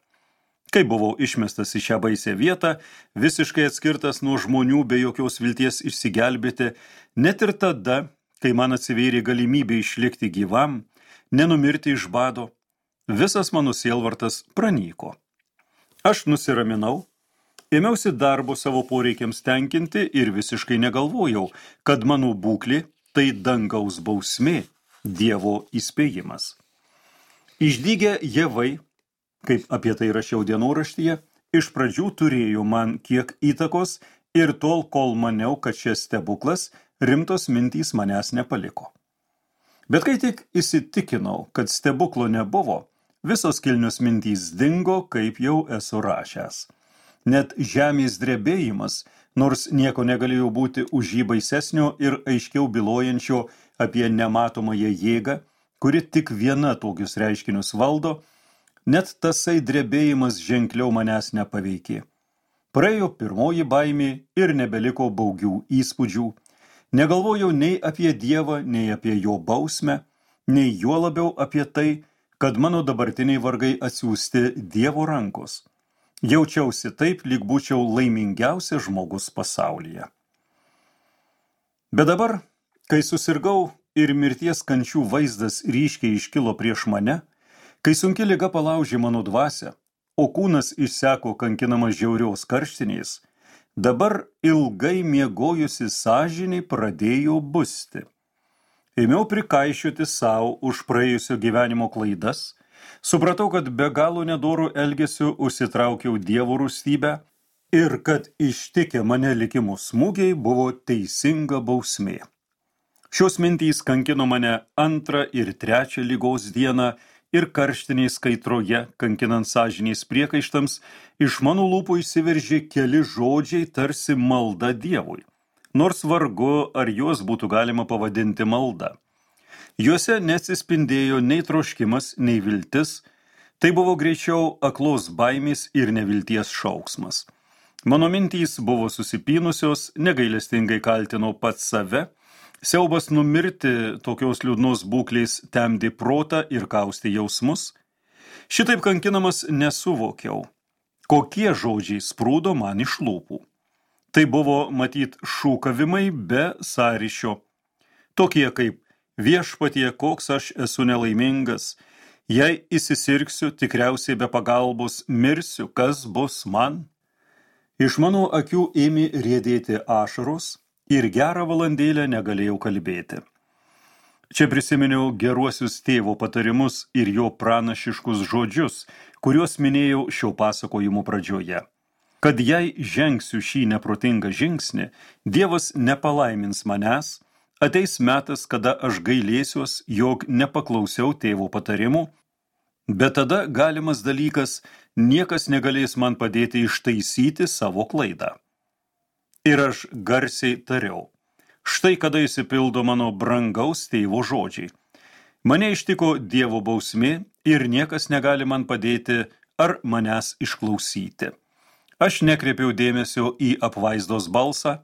kai buvau išmestas į šią baisę vietą, visiškai atskirtas nuo žmonių be jokios vilties išsigelbėti, net ir tada, kai man atsivėrė galimybė išlikti gyvam, nenumirti iš bado, visas mano sielvartas pranyko. Aš nusiraminau, ėmiausi darbo savo poreikiams tenkinti ir visiškai negalvojau, kad mano būklė tai dangaus bausmė, Dievo įspėjimas. Išdygę javai, kaip apie tai rašiau dienoraštyje, iš pradžių turėjo man kiek įtakos ir tol, kol maniau, kad šis stebuklas, rimtos mintys manęs nepaliko. Bet kai tik įsitikinau, kad stebuklo nebuvo, visos kilnios mintys dingo, kaip jau esu rašęs. Net žemės drebėjimas, nors nieko negalėjo būti už jį baisesnio ir aiškiau bylojančio apie nematomąją jėgą, kuri tik viena tokius reiškinius valdo, net tasai drebėjimas ženkliau manęs nepaveikė. Praėjo pirmoji baimė ir nebeliko baugių įspūdžių. Negalvojau nei apie Dievą, nei apie jo bausmę, nei juo labiau apie tai, kad mano dabartiniai vargai atsiųsti Dievo rankos. Jaučiausi taip, lyg būčiau laimingiausias žmogus pasaulyje. Bet dabar, kai susirgau ir mirties kančių vaizdas ryškiai iškilo prieš mane, kai sunki liga palaužė mano dvasią, o kūnas išseko kankinamas žiaurios karštiniais, dabar ilgai miegojusi sąžinė pradėjo busti. Ėmiau prikaišioti savo už praėjusio gyvenimo klaidas, supratau, kad be galo nedorų elgesiu užsitraukiau Dievo rūstybę ir kad ištikę mane likimo smūgiai buvo teisinga bausmė. Šios mintys kankino mane antrą ir trečią ligos dieną ir karštiniais kaitroje, kankinant sąžiniais priekaištams, iš mano lūpų išsiveržė keli žodžiai tarsi malda Dievui, nors vargu ar juos būtų galima pavadinti malda. Juose neatsispindėjo nei troškimas, nei viltis, tai buvo greičiau aklos baimės ir nevilties šauksmas. Mano mintys buvo susipynusios, negailestingai kaltino pats save, siaubas numirti tokios liūdnos būklės temdė protą ir kaustė jausmus. Šitaip kankinamas nesuvokiau, kokie žodžiai sprūdo man iš lūpų. Tai buvo matyt šūkavimai be sąryšio, tokie kaip viešpatie, koks aš esu nelaimingas, jei įsisirgsiu, tikriausiai be pagalbos mirsiu, kas bus man? Iš mano akių ėmė riedėti ašaros ir gerą valandėlę negalėjau kalbėti. Čia prisiminiau geruosius tėvo patarimus ir jo pranašiškus žodžius, kuriuos minėjau šio pasakojimo pradžioje. Kad jei žengsiu šį neprotingą žingsnį, Dievas nepalaimins manęs, ateis metas, kada aš gailėsiuos, jog nepaklausiau tėvo patarimų, bet tada galimas dalykas, niekas negalės man padėti ištaisyti savo klaidą. Ir aš garsiai tariau, štai kada išsipildo mano brangaus tėvo žodžiai. Mane ištiko Dievo bausmė ir niekas negali man padėti ar manęs išklausyti. Aš nekreipiau dėmesio į apvaizdos balsą,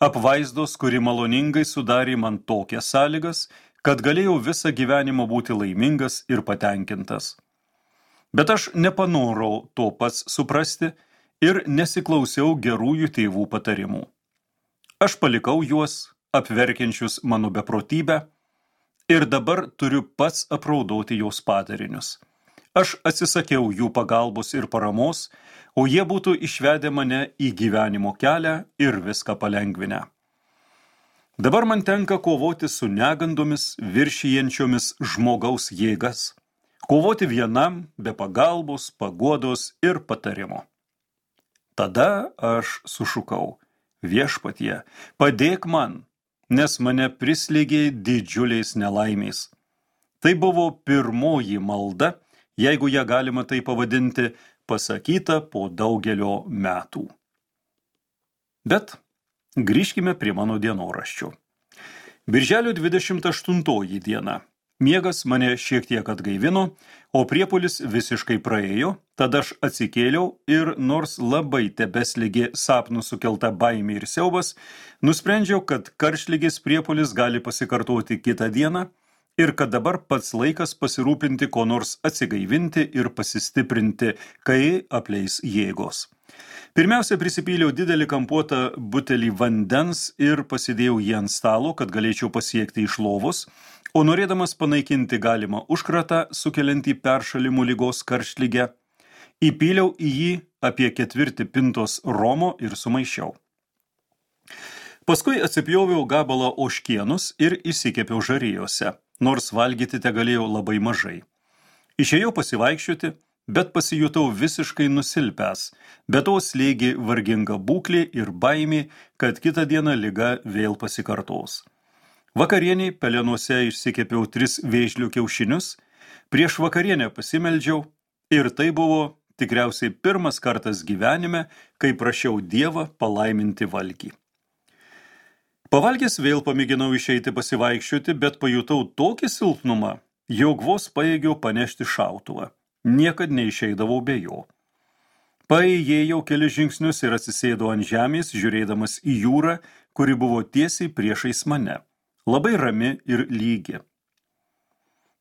apvaizdos, kuri maloningai sudarė man tokias sąlygas, kad galėjau visą gyvenimą būti laimingas ir patenkintas. Bet aš nepanorau to pats suprasti ir nesiklausiau gerųjų tėvų patarimų. Aš palikau juos, apverkiančius mano beprotybę, ir dabar turiu pats apraudoti jos padarinius. Aš atsisakiau jų pagalbos ir paramos, o jie būtų išvedę mane į gyvenimo kelią ir viską palengvinę. Dabar man tenka kovoti su negandomis, viršijančiomis žmogaus jėgas, kovoti vienam be pagalbos, paguodos ir patarimo. Tada aš sušukau, viešpatie, padėk man, nes mane prislėgė didžiuliais nelaimės. Tai buvo pirmoji malda, jeigu ją galima tai pavadinti, pasakyta po daugelio metų. Bet grįžkime prie mano dienoraščio. Birželio 28 diena. Miegas mane šiek tiek atgaivino, o priepuolis visiškai praėjo, tada aš atsikėliau ir nors labai tebesligė sapnų sukelta baimė ir siaubas, nusprendžiau, kad karštligės priepuolis gali pasikartoti kitą dieną ir kad dabar pats laikas pasirūpinti ko nors atsigaivinti ir pasistiprinti, kai apleis jėgos. Pirmiausia, prisipyliau didelį kampuotą butelį vandens ir pasidėjau jį ant stalo, kad galėčiau pasiekti iš lovos, o norėdamas panaikinti galimą užkratą, sukeliantį peršalimų ligos karštligę, įpyliau į jį apie 4 pintos romo ir sumaišiau. Paskui atsipjoviau gabalą ožkienus ir įsikepiau žarijose, nors valgyti tegalėjau labai mažai. Išėjau pasivaikščioti, bet pasijutau visiškai nusilpęs, be to slėgė varginga būklė ir baimė, kad kitą dieną liga vėl pasikartos. Vakarieniai pelenuose išsikepiau 3 vėžlių kiaušinius, prieš vakarienę pasimeldžiau ir tai buvo tikriausiai pirmas kartas gyvenime, kai prašiau Dievą palaiminti valgį. Pavalgęs vėl pamėginau išeiti pasivaikščioti, bet pajutau tokį silpnumą, jog vos pajėgiau panešti šautuvą. Niekad neišeidavau be jo. Paėjėjau kelius žingsnius ir atsisėdau ant žemės, žiūrėdamas į jūrą, kuri buvo tiesiai priešais mane, labai rami ir lygi.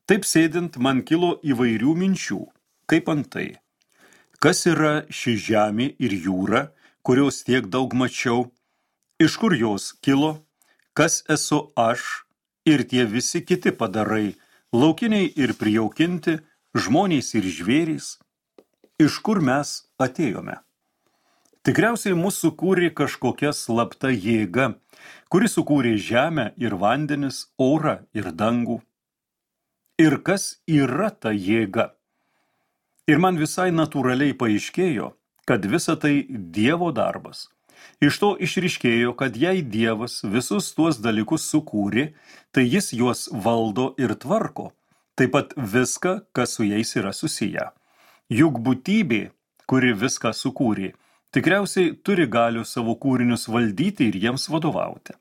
Taip sėdint, man kilo įvairių minčių, kaip antai. Kas yra ši žemė ir jūra, kurios tiek daug mačiau, iš kur jos kilo, kas esu aš ir tie visi kiti padarai, laukiniai ir prijaukinti, žmonės ir žvėrys, iš kur mes atėjome. Tikriausiai mūsų sukūrė kažkokia slapta jėga, kuri sukūrė žemę ir vandenis, orą ir dangų. Ir kas yra ta jėga? Ir man visai natūraliai paaiškėjo, kad visa tai Dievo darbas. Iš to išryškėjo, kad jei Dievas visus tuos dalykus sukūrė, tai jis juos valdo ir tvarko. Taip pat viską, kas su jais yra susiję. Juk būtybė, kuri viską sukūrė, tikriausiai turi galių savo kūrinius valdyti ir jiems vadovauti.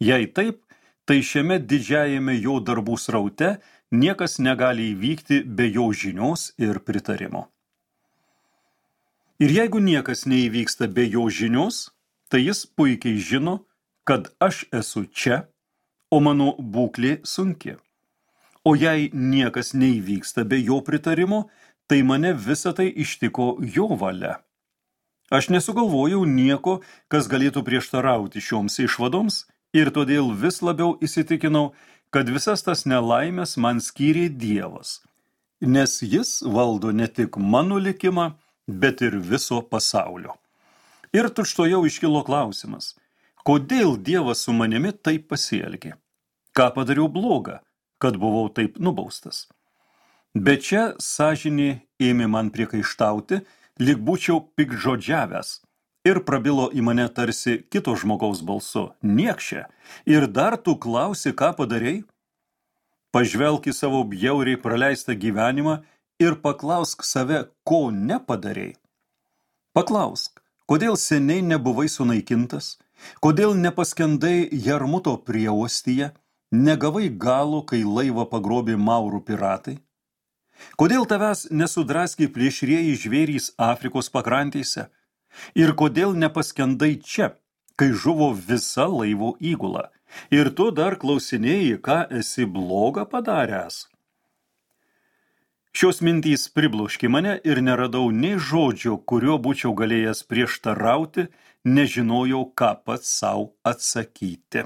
Jei taip, tai šiame didžiajame jo darbų sraute niekas negali įvykti be jo žinios ir pritarimo. Ir jeigu niekas neįvyksta be jo žinios, tai jis puikiai žino, kad aš esu čia, o mano būklė sunki. O jei niekas neįvyksta be jo pritarimo, tai mane visą tai ištiko jo valia. Aš nesugalvojau nieko, kas galėtų prieštarauti šioms išvadoms ir todėl vis labiau įsitikinau, kad visas tas nelaimės man skyrė Dievas, nes jis valdo ne tik mano likimą, bet ir viso pasaulio. Ir tučtuojau iškilo klausimas, kodėl Dievas su manimi taip pasielgė? Ką padariau blogą, kad buvau taip nubaustas? Bet čia sąžinė ėmė man priekaištauti, lyg būčiau piktžodžiavęs, ir prabilo į mane tarsi kito žmogaus balsu, niekše, ir dar tu klausi, ką padarei? Pažvelk į savo bjauriai praleistą gyvenimą ir paklausk save, ko nepadarei. Paklausk, kodėl seniai nebuvai sunaikintas, kodėl nepaskendai Jarmuto prieostyje, negavai galo, kai laivą pagrobė maurų piratai? Kodėl tavęs nesudraskė plėšrieji žvėrys Afrikos pakrantėse? Ir kodėl nepaskendai čia, kai žuvo visa laivo įgula? Ir tu dar klausinėjai, ką esi bloga padaręs? Šios mintys pribloškė mane ir neradau nei žodžio, kuriuo būčiau galėjęs prieštarauti, nežinojau, ką pats sau atsakyti.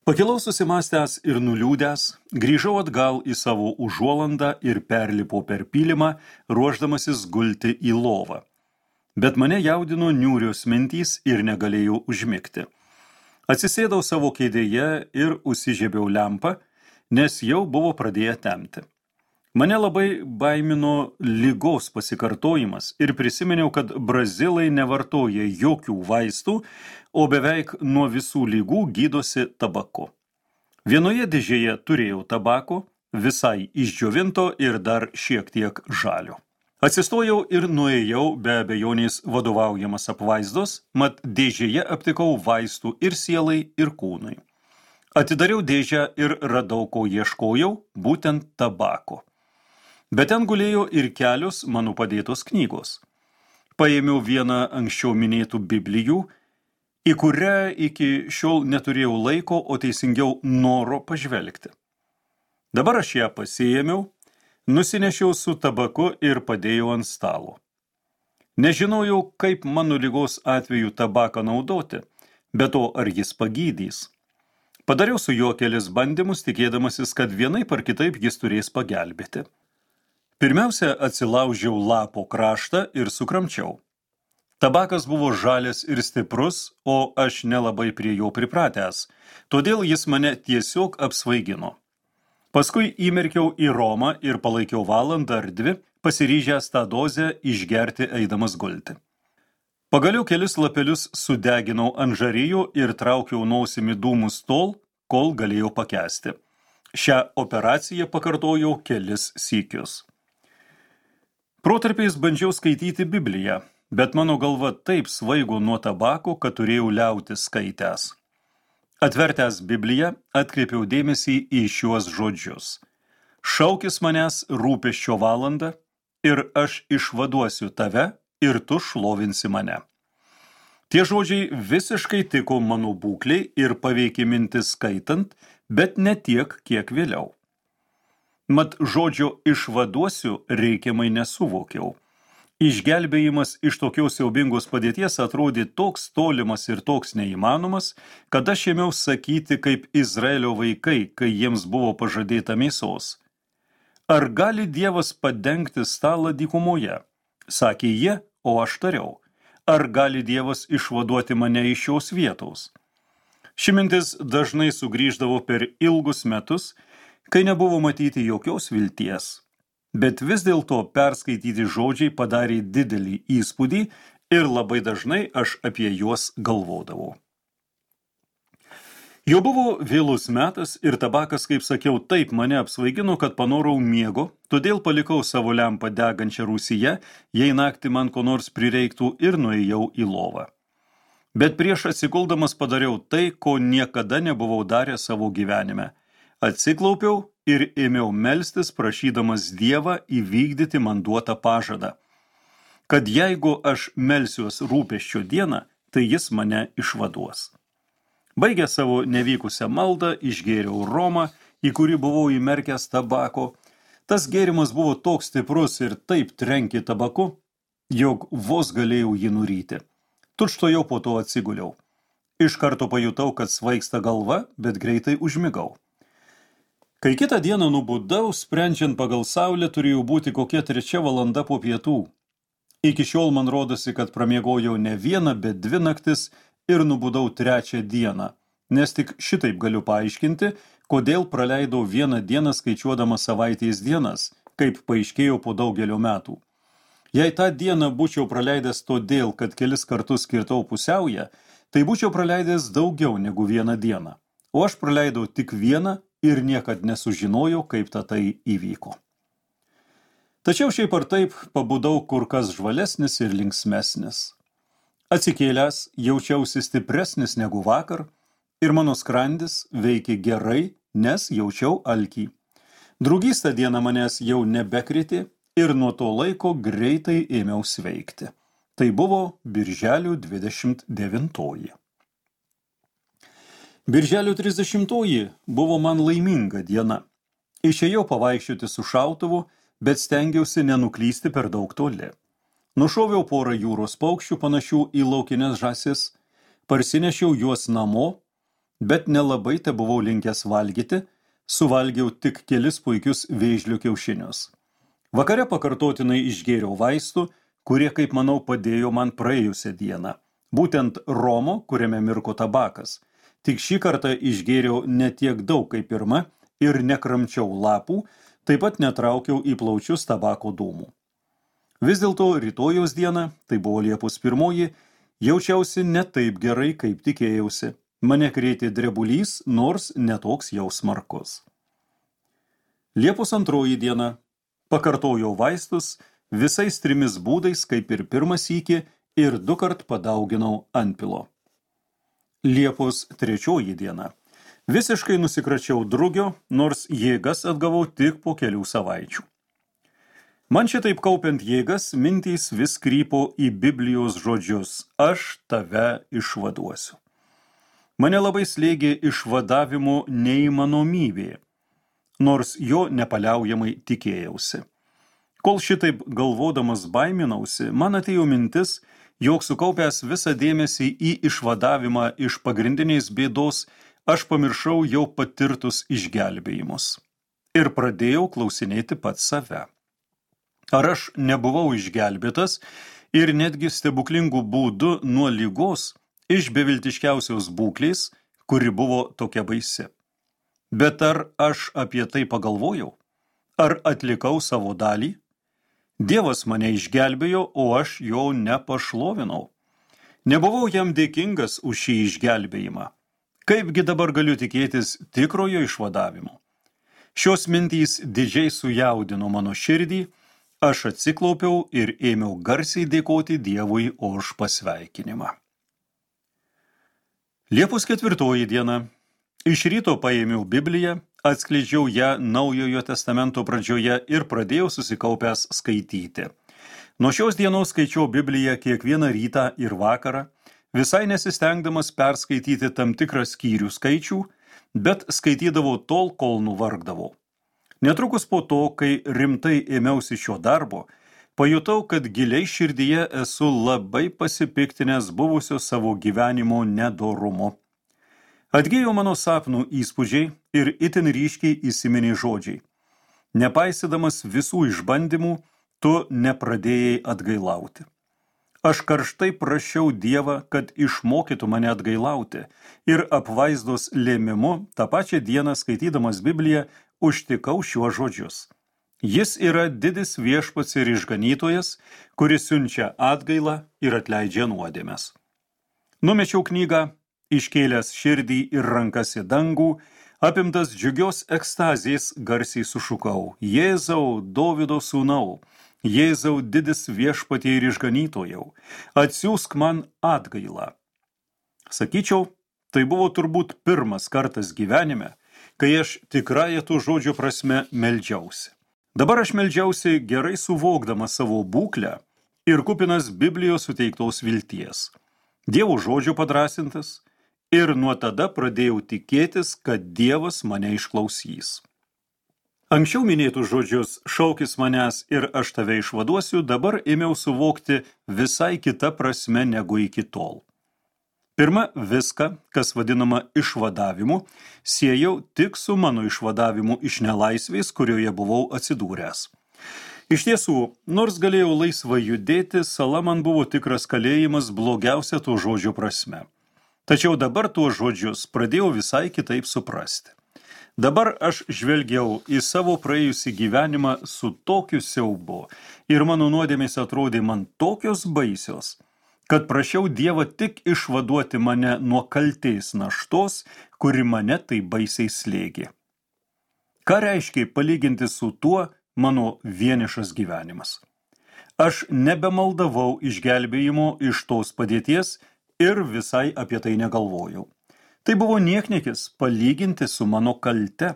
Pakilau susimąstęs ir nuliūdęs, grįžau atgal į savo užuolandą ir perlipau per pylimą, ruošdamasis gulti į lovą. Bet mane jaudino niūrios mintys ir negalėjau užmigti. Atsisėdau savo kėdėje ir užsižiebiau lempą, nes jau buvo pradėję temti. Mane labai baimino ligos pasikartojimas ir prisiminiau, kad brazilai nevartoja jokių vaistų, o beveik nuo visų ligų gydosi tabaku. Vienoje dėžėje turėjau tabako, visai išdžiovinto ir dar šiek tiek žalio. Atsistojau ir nuėjau be abejonės vadovaujamas apvaizdos, mat dėžėje aptikau vaistų ir sielai, ir kūnui. Atidariau dėžę ir radau, ko ieškojau, būtent tabako. Bet ten gulėjo ir kelios mano padėtos knygos. Paėmiau vieną anksčiau minėtų Biblijų, į kurią iki šiol neturėjau laiko, o teisingiau noro pažvelgti. Dabar aš ją pasiėmiau, nusinešiau su tabaku ir padėjau ant stalo. Nežinojau, kaip mano ligos atveju tabaką naudoti, bet to ar jis pagydys. Padariau su juo kelis bandymus, tikėdamasis, kad vienaip ar kitaip jis turės pagelbėti. Pirmiausia, atsilaužiau lapo kraštą ir sukramčiau. Tabakas buvo žalias ir stiprus, o aš nelabai prie jo pripratęs, todėl jis mane tiesiog apsvaigino. Paskui įmerkiau į romą ir palaikiau valandą ar dvi, pasiryžęs tą dozę išgerti eidamas gulti. Pagaliau kelis lapelius sudeginau ant žarijų ir traukiau nosimi dūmus tol, kol galėjau pakęsti. Šią operaciją pakartojau kelis sykius. Protarpiais bandžiau skaityti Bibliją, bet mano galva taip svaigo nuo tabako, kad turėjau liautis skaitęs. Atvertęs Bibliją, atkreipiau dėmesį į šiuos žodžius. Šaukis manęs rūpesčio valandą ir aš išvaduosiu tave ir tu šlovinsi mane. Tie žodžiai visiškai tiko mano būklei ir paveikė mintis skaitant, bet ne tiek, kiek vėliau. Mat žodžio išvaduosiu reikiamai nesuvokiau. Išgelbėjimas iš tokios siaubingos padėties atrodė toks tolimas ir toks neįmanomas, kad aš ėmiau sakyti kaip Izraelio vaikai, kai jiems buvo pažadėta mėsos. Ar gali Dievas padengti stalą dykumoje? Sakė jie, o aš tariau. Ar gali Dievas išvaduoti mane iš šios vietos? Ši mintis dažnai sugrįždavo per ilgus metus, kai nebuvo matyti jokios vilties. Bet vis dėlto perskaityti žodžiai padarė didelį įspūdį ir labai dažnai aš apie juos galvodavau. Jau buvo vėlus metas ir tabakas, kaip sakiau, taip mane apsvaigino, kad panorau miego, todėl palikau savo lempą degančią rūsyje, jei naktį man ko nors prireiktų ir nuėjau į lovą. Bet prieš atsikuldamas padariau tai, ko niekada nebuvau daręs savo gyvenime. Atsiklaupiau ir ėmiau melstis, prašydamas Dievą įvykdyti man duotą pažadą, kad jeigu aš melsiuos rūpesčio dieną, tai jis mane išvaduos. Baigęs savo nevykusią maldą, išgėriau romą, į kurį buvau įmerkęs tabako. Tas gėrimas buvo toks stiprus ir taip trenkė tabaku, jog vos galėjau jį nuryti. Tučtuojau po to atsiguliau. Iš karto pajutau, kad svaigsta galva, bet greitai užmigau. Kai kitą dieną nubudau, sprendžiant pagal saulę, turėjo būti kokia 3 valanda po pietų. Iki šiol man rodosi, kad pramiegojau ne vieną, bet 2 naktis ir nubudau 3 dieną, nes tik šitaip galiu paaiškinti, kodėl praleidau 1 dieną skaičiuodamas savaitės dienas, kaip paaiškėjo po daugelio metų. Jei tą dieną būčiau praleidęs todėl, kad kelis kartus skirtau pusiaują, tai būčiau praleidęs daugiau negu 1 dieną, o aš praleidau tik 1 ir niekad nesužinojau, kaip tai įvyko. Tačiau šiaip ar taip pabudau kur kas žvalesnis ir linksmesnis. Atsikėlęs jaučiausi stipresnis negu vakar ir mano skrandis veikė gerai, nes jaučiau alkį. Drugys tą dieną manęs jau nebekrėtė ir nuo to laiko greitai ėmiau sveikti. Tai buvo birželio 29. Birželio 30 buvo man laiminga diena. Išėjau pavaikščioti su šautuvu, bet stengiausi nenuklysti per daug toli. Nušoviau porą jūros paukščių panašių į laukines žąsis, parsinešiau juos namo, bet nelabai te buvau linkęs valgyti, suvalgiau tik kelis puikius vėžlių kiaušinius. Vakare pakartotinai išgėriau vaistų, kurie, kaip manau, padėjo man praėjusią dieną. Būtent romo, kuriame mirko tabakas. Tik šį kartą išgėriau ne tiek daug kaip pirma ir nekramčiau lapų, taip pat netraukiau į plaučius tabako dūmų. Vis dėlto rytojaus dieną, tai buvo Liepos 1, jaučiausi ne taip gerai, kaip tikėjausi. Mane krėtė drebulys, nors netoks jau smarkus. Liepos 2 diena. Pakartojau vaistus visais 3 būdais, kaip ir pirmą sykį, ir 2 kart padauginau antpilo. Liepos 3 diena. Visiškai nusikračiau drugio, nors jėgas atgavau tik po kelių savaičių. Man šitaip kaupiant jėgas, mintys vis krypo į Biblijos žodžius: aš tave išvaduosiu. Mane labai slėgė išvadavimo neįmanomybė, nors jo nepaliaujamai tikėjausi. Kol šitaip galvodamas baiminausi, man atėjo mintis, jog sukaupęs visą dėmesį į išvadavimą iš pagrindinės bėdos, aš pamiršau jau patirtus išgelbėjimus. Ir pradėjau klausinėti pats save. Ar aš nebuvau išgelbėtas ir netgi stebuklingų būdų nuo ligos iš beviltiškiausios būklės, kuri buvo tokia baisi? Bet ar aš apie tai pagalvojau? Ar atlikau savo dalį? Dievas mane išgelbėjo, o aš jo nepašlovinau. Nebuvau jam dėkingas už šį išgelbėjimą. Kaipgi dabar galiu tikėtis tikrojo išvadavimo? Šios mintys didžiai sujaudino mano širdį, aš atsiklaupiau ir ėmiau garsiai dėkoti Dievui už pasveikinimą. Liepos 4 diena. Iš ryto paėmiau Bibliją, atskleidžiau ją Naujojo testamento pradžioje ir pradėjau susikaupęs skaityti. Nuo šios dienos skaičiau Bibliją kiekvieną rytą ir vakarą, visai nesistengdamas perskaityti tam tikrą skyrių skaičių, bet skaitydavau tol, kol nuvargdavau. Netrukus po to, kai rimtai ėmiausi šio darbo, pajutau, kad giliai širdyje esu labai pasipiktinęs buvusio savo gyvenimo nedorumu. Atgėjo mano sapnų įspūdžiai ir itin ryškiai įsiminė žodžiai: nepaisydamas visų išbandymų, tu nepradėjai atgailauti. Aš karštai prašiau Dievą, kad išmokytų mane atgailauti, ir apvaizdos lėmimu tą pačią dieną skaitydamas Bibliją užtikau šiuos žodžius: jis yra didis viešpats ir išganytojas, kuris siunčia atgailą ir atleidžia nuodėmes. Numečiau knygą, iškėlęs širdį ir rankas į dangų, apimtas džiugios ekstazės garsiai sušukau: Jėzau, Dovydo sūnau, Jėzau didis viešpatie ir išganytojau, atsiųsk man atgailą. Sakyčiau, tai buvo turbūt pirmas kartas gyvenime, kai aš tikrąją to žodžio prasme meldžiausi. Dabar aš meldžiausi gerai suvokdamas savo būklę ir kupinas Biblijos suteiktos vilties. Dievo žodžio padrąsintas, ir nuo tada pradėjau tikėtis, kad Dievas mane išklausys. Anksčiau minėtus žodžius šaukis manęs ir aš tave išvaduosiu dabar ėmiau suvokti visai kita prasme negu iki tol. Pirma, viską, kas vadinama išvadavimu, siejau tik su mano išvadavimu iš nelaisvės, kurioje buvau atsidūręs. Iš tiesų, nors galėjau laisvai judėti, sala man buvo tikras kalėjimas blogiausia to žodžio prasme. Tačiau dabar tuos žodžius pradėjau visai kitaip suprasti. Dabar aš žvelgiau į savo praėjusį gyvenimą su tokiu siaubu ir mano nuodėmės atrodė man tokios baisios, kad prašiau Dievą tik išvaduoti mane nuo kaltės naštos, kuri mane tai baisiai slėgė. Ką reiškia palyginti su tuo mano vienišas gyvenimas? Aš nebemaldavau išgelbėjimo iš tos padėties ir visai apie tai negalvojau. Tai buvo niekniekis palyginti su mano kalte.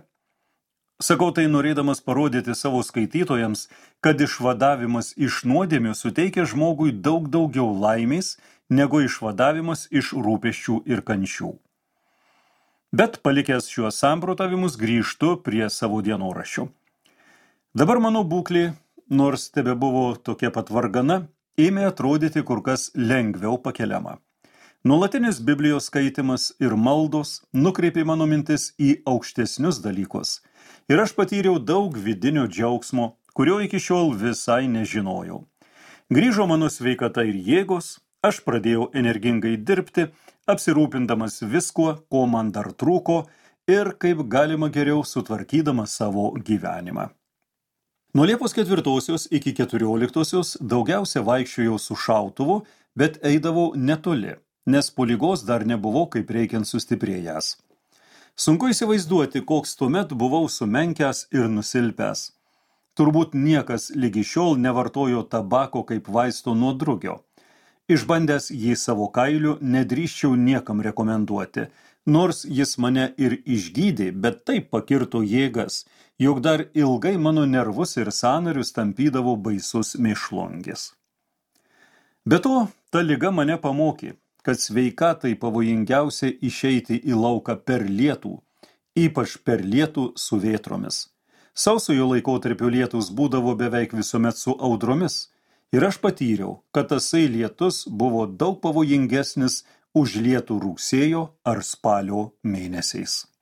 Sakau tai norėdamas parodyti savo skaitytojams, kad išvadavimas iš nuodėmių suteikia žmogui daug daugiau laimės, negu išvadavimas iš rūpesčių ir kančių. Bet palikęs šiuos samprotavimus grįžtu prie savo dienoraščių. Dabar mano būklė, nors tebebuvo tokia pat vargana, ėmė atrodyti kur kas lengviau pakeliama. Nuolatinis Biblijos skaitimas ir maldos nukreipė mano mintis į aukštesnius dalykus ir aš patyriau daug vidinio džiaugsmo, kurio iki šiol visai nežinojau. Grįžo mano sveikata ir jėgos, aš pradėjau energingai dirbti, apsirūpindamas viskuo, ko man dar trūko ir kaip galima geriau sutvarkydamas savo gyvenimą. Nuo Liepos 4 iki 14 daugiausia vaikščiojau su šautuvu, bet eidavau netoli, nes po ligos dar nebuvau kaip reikiant sustiprėjęs. Sunku įsivaizduoti, koks tuomet buvau sumenkęs ir nusilpęs. Turbūt niekas lygi šiol nevartojo tabako kaip vaisto nuo drugio. Išbandęs jį savo kailiu, nedrįsčiau niekam rekomenduoti, nors jis mane ir išgydė, bet taip pakirto jėgas, jog dar ilgai mano nervus ir sąnarius tampydavo baisus mėšlungis. Be to, ta liga mane pamokė, kad sveikatai pavojingiausia išeiti į lauką per lietų, ypač per lietų su vėtromis. Sausojo laikotarpio lietus būdavo beveik visuomet su audromis, ir aš patyriau, kad tasai lietus buvo daug pavojingesnis už lietų rugsėjo ar spalio mėnesiais.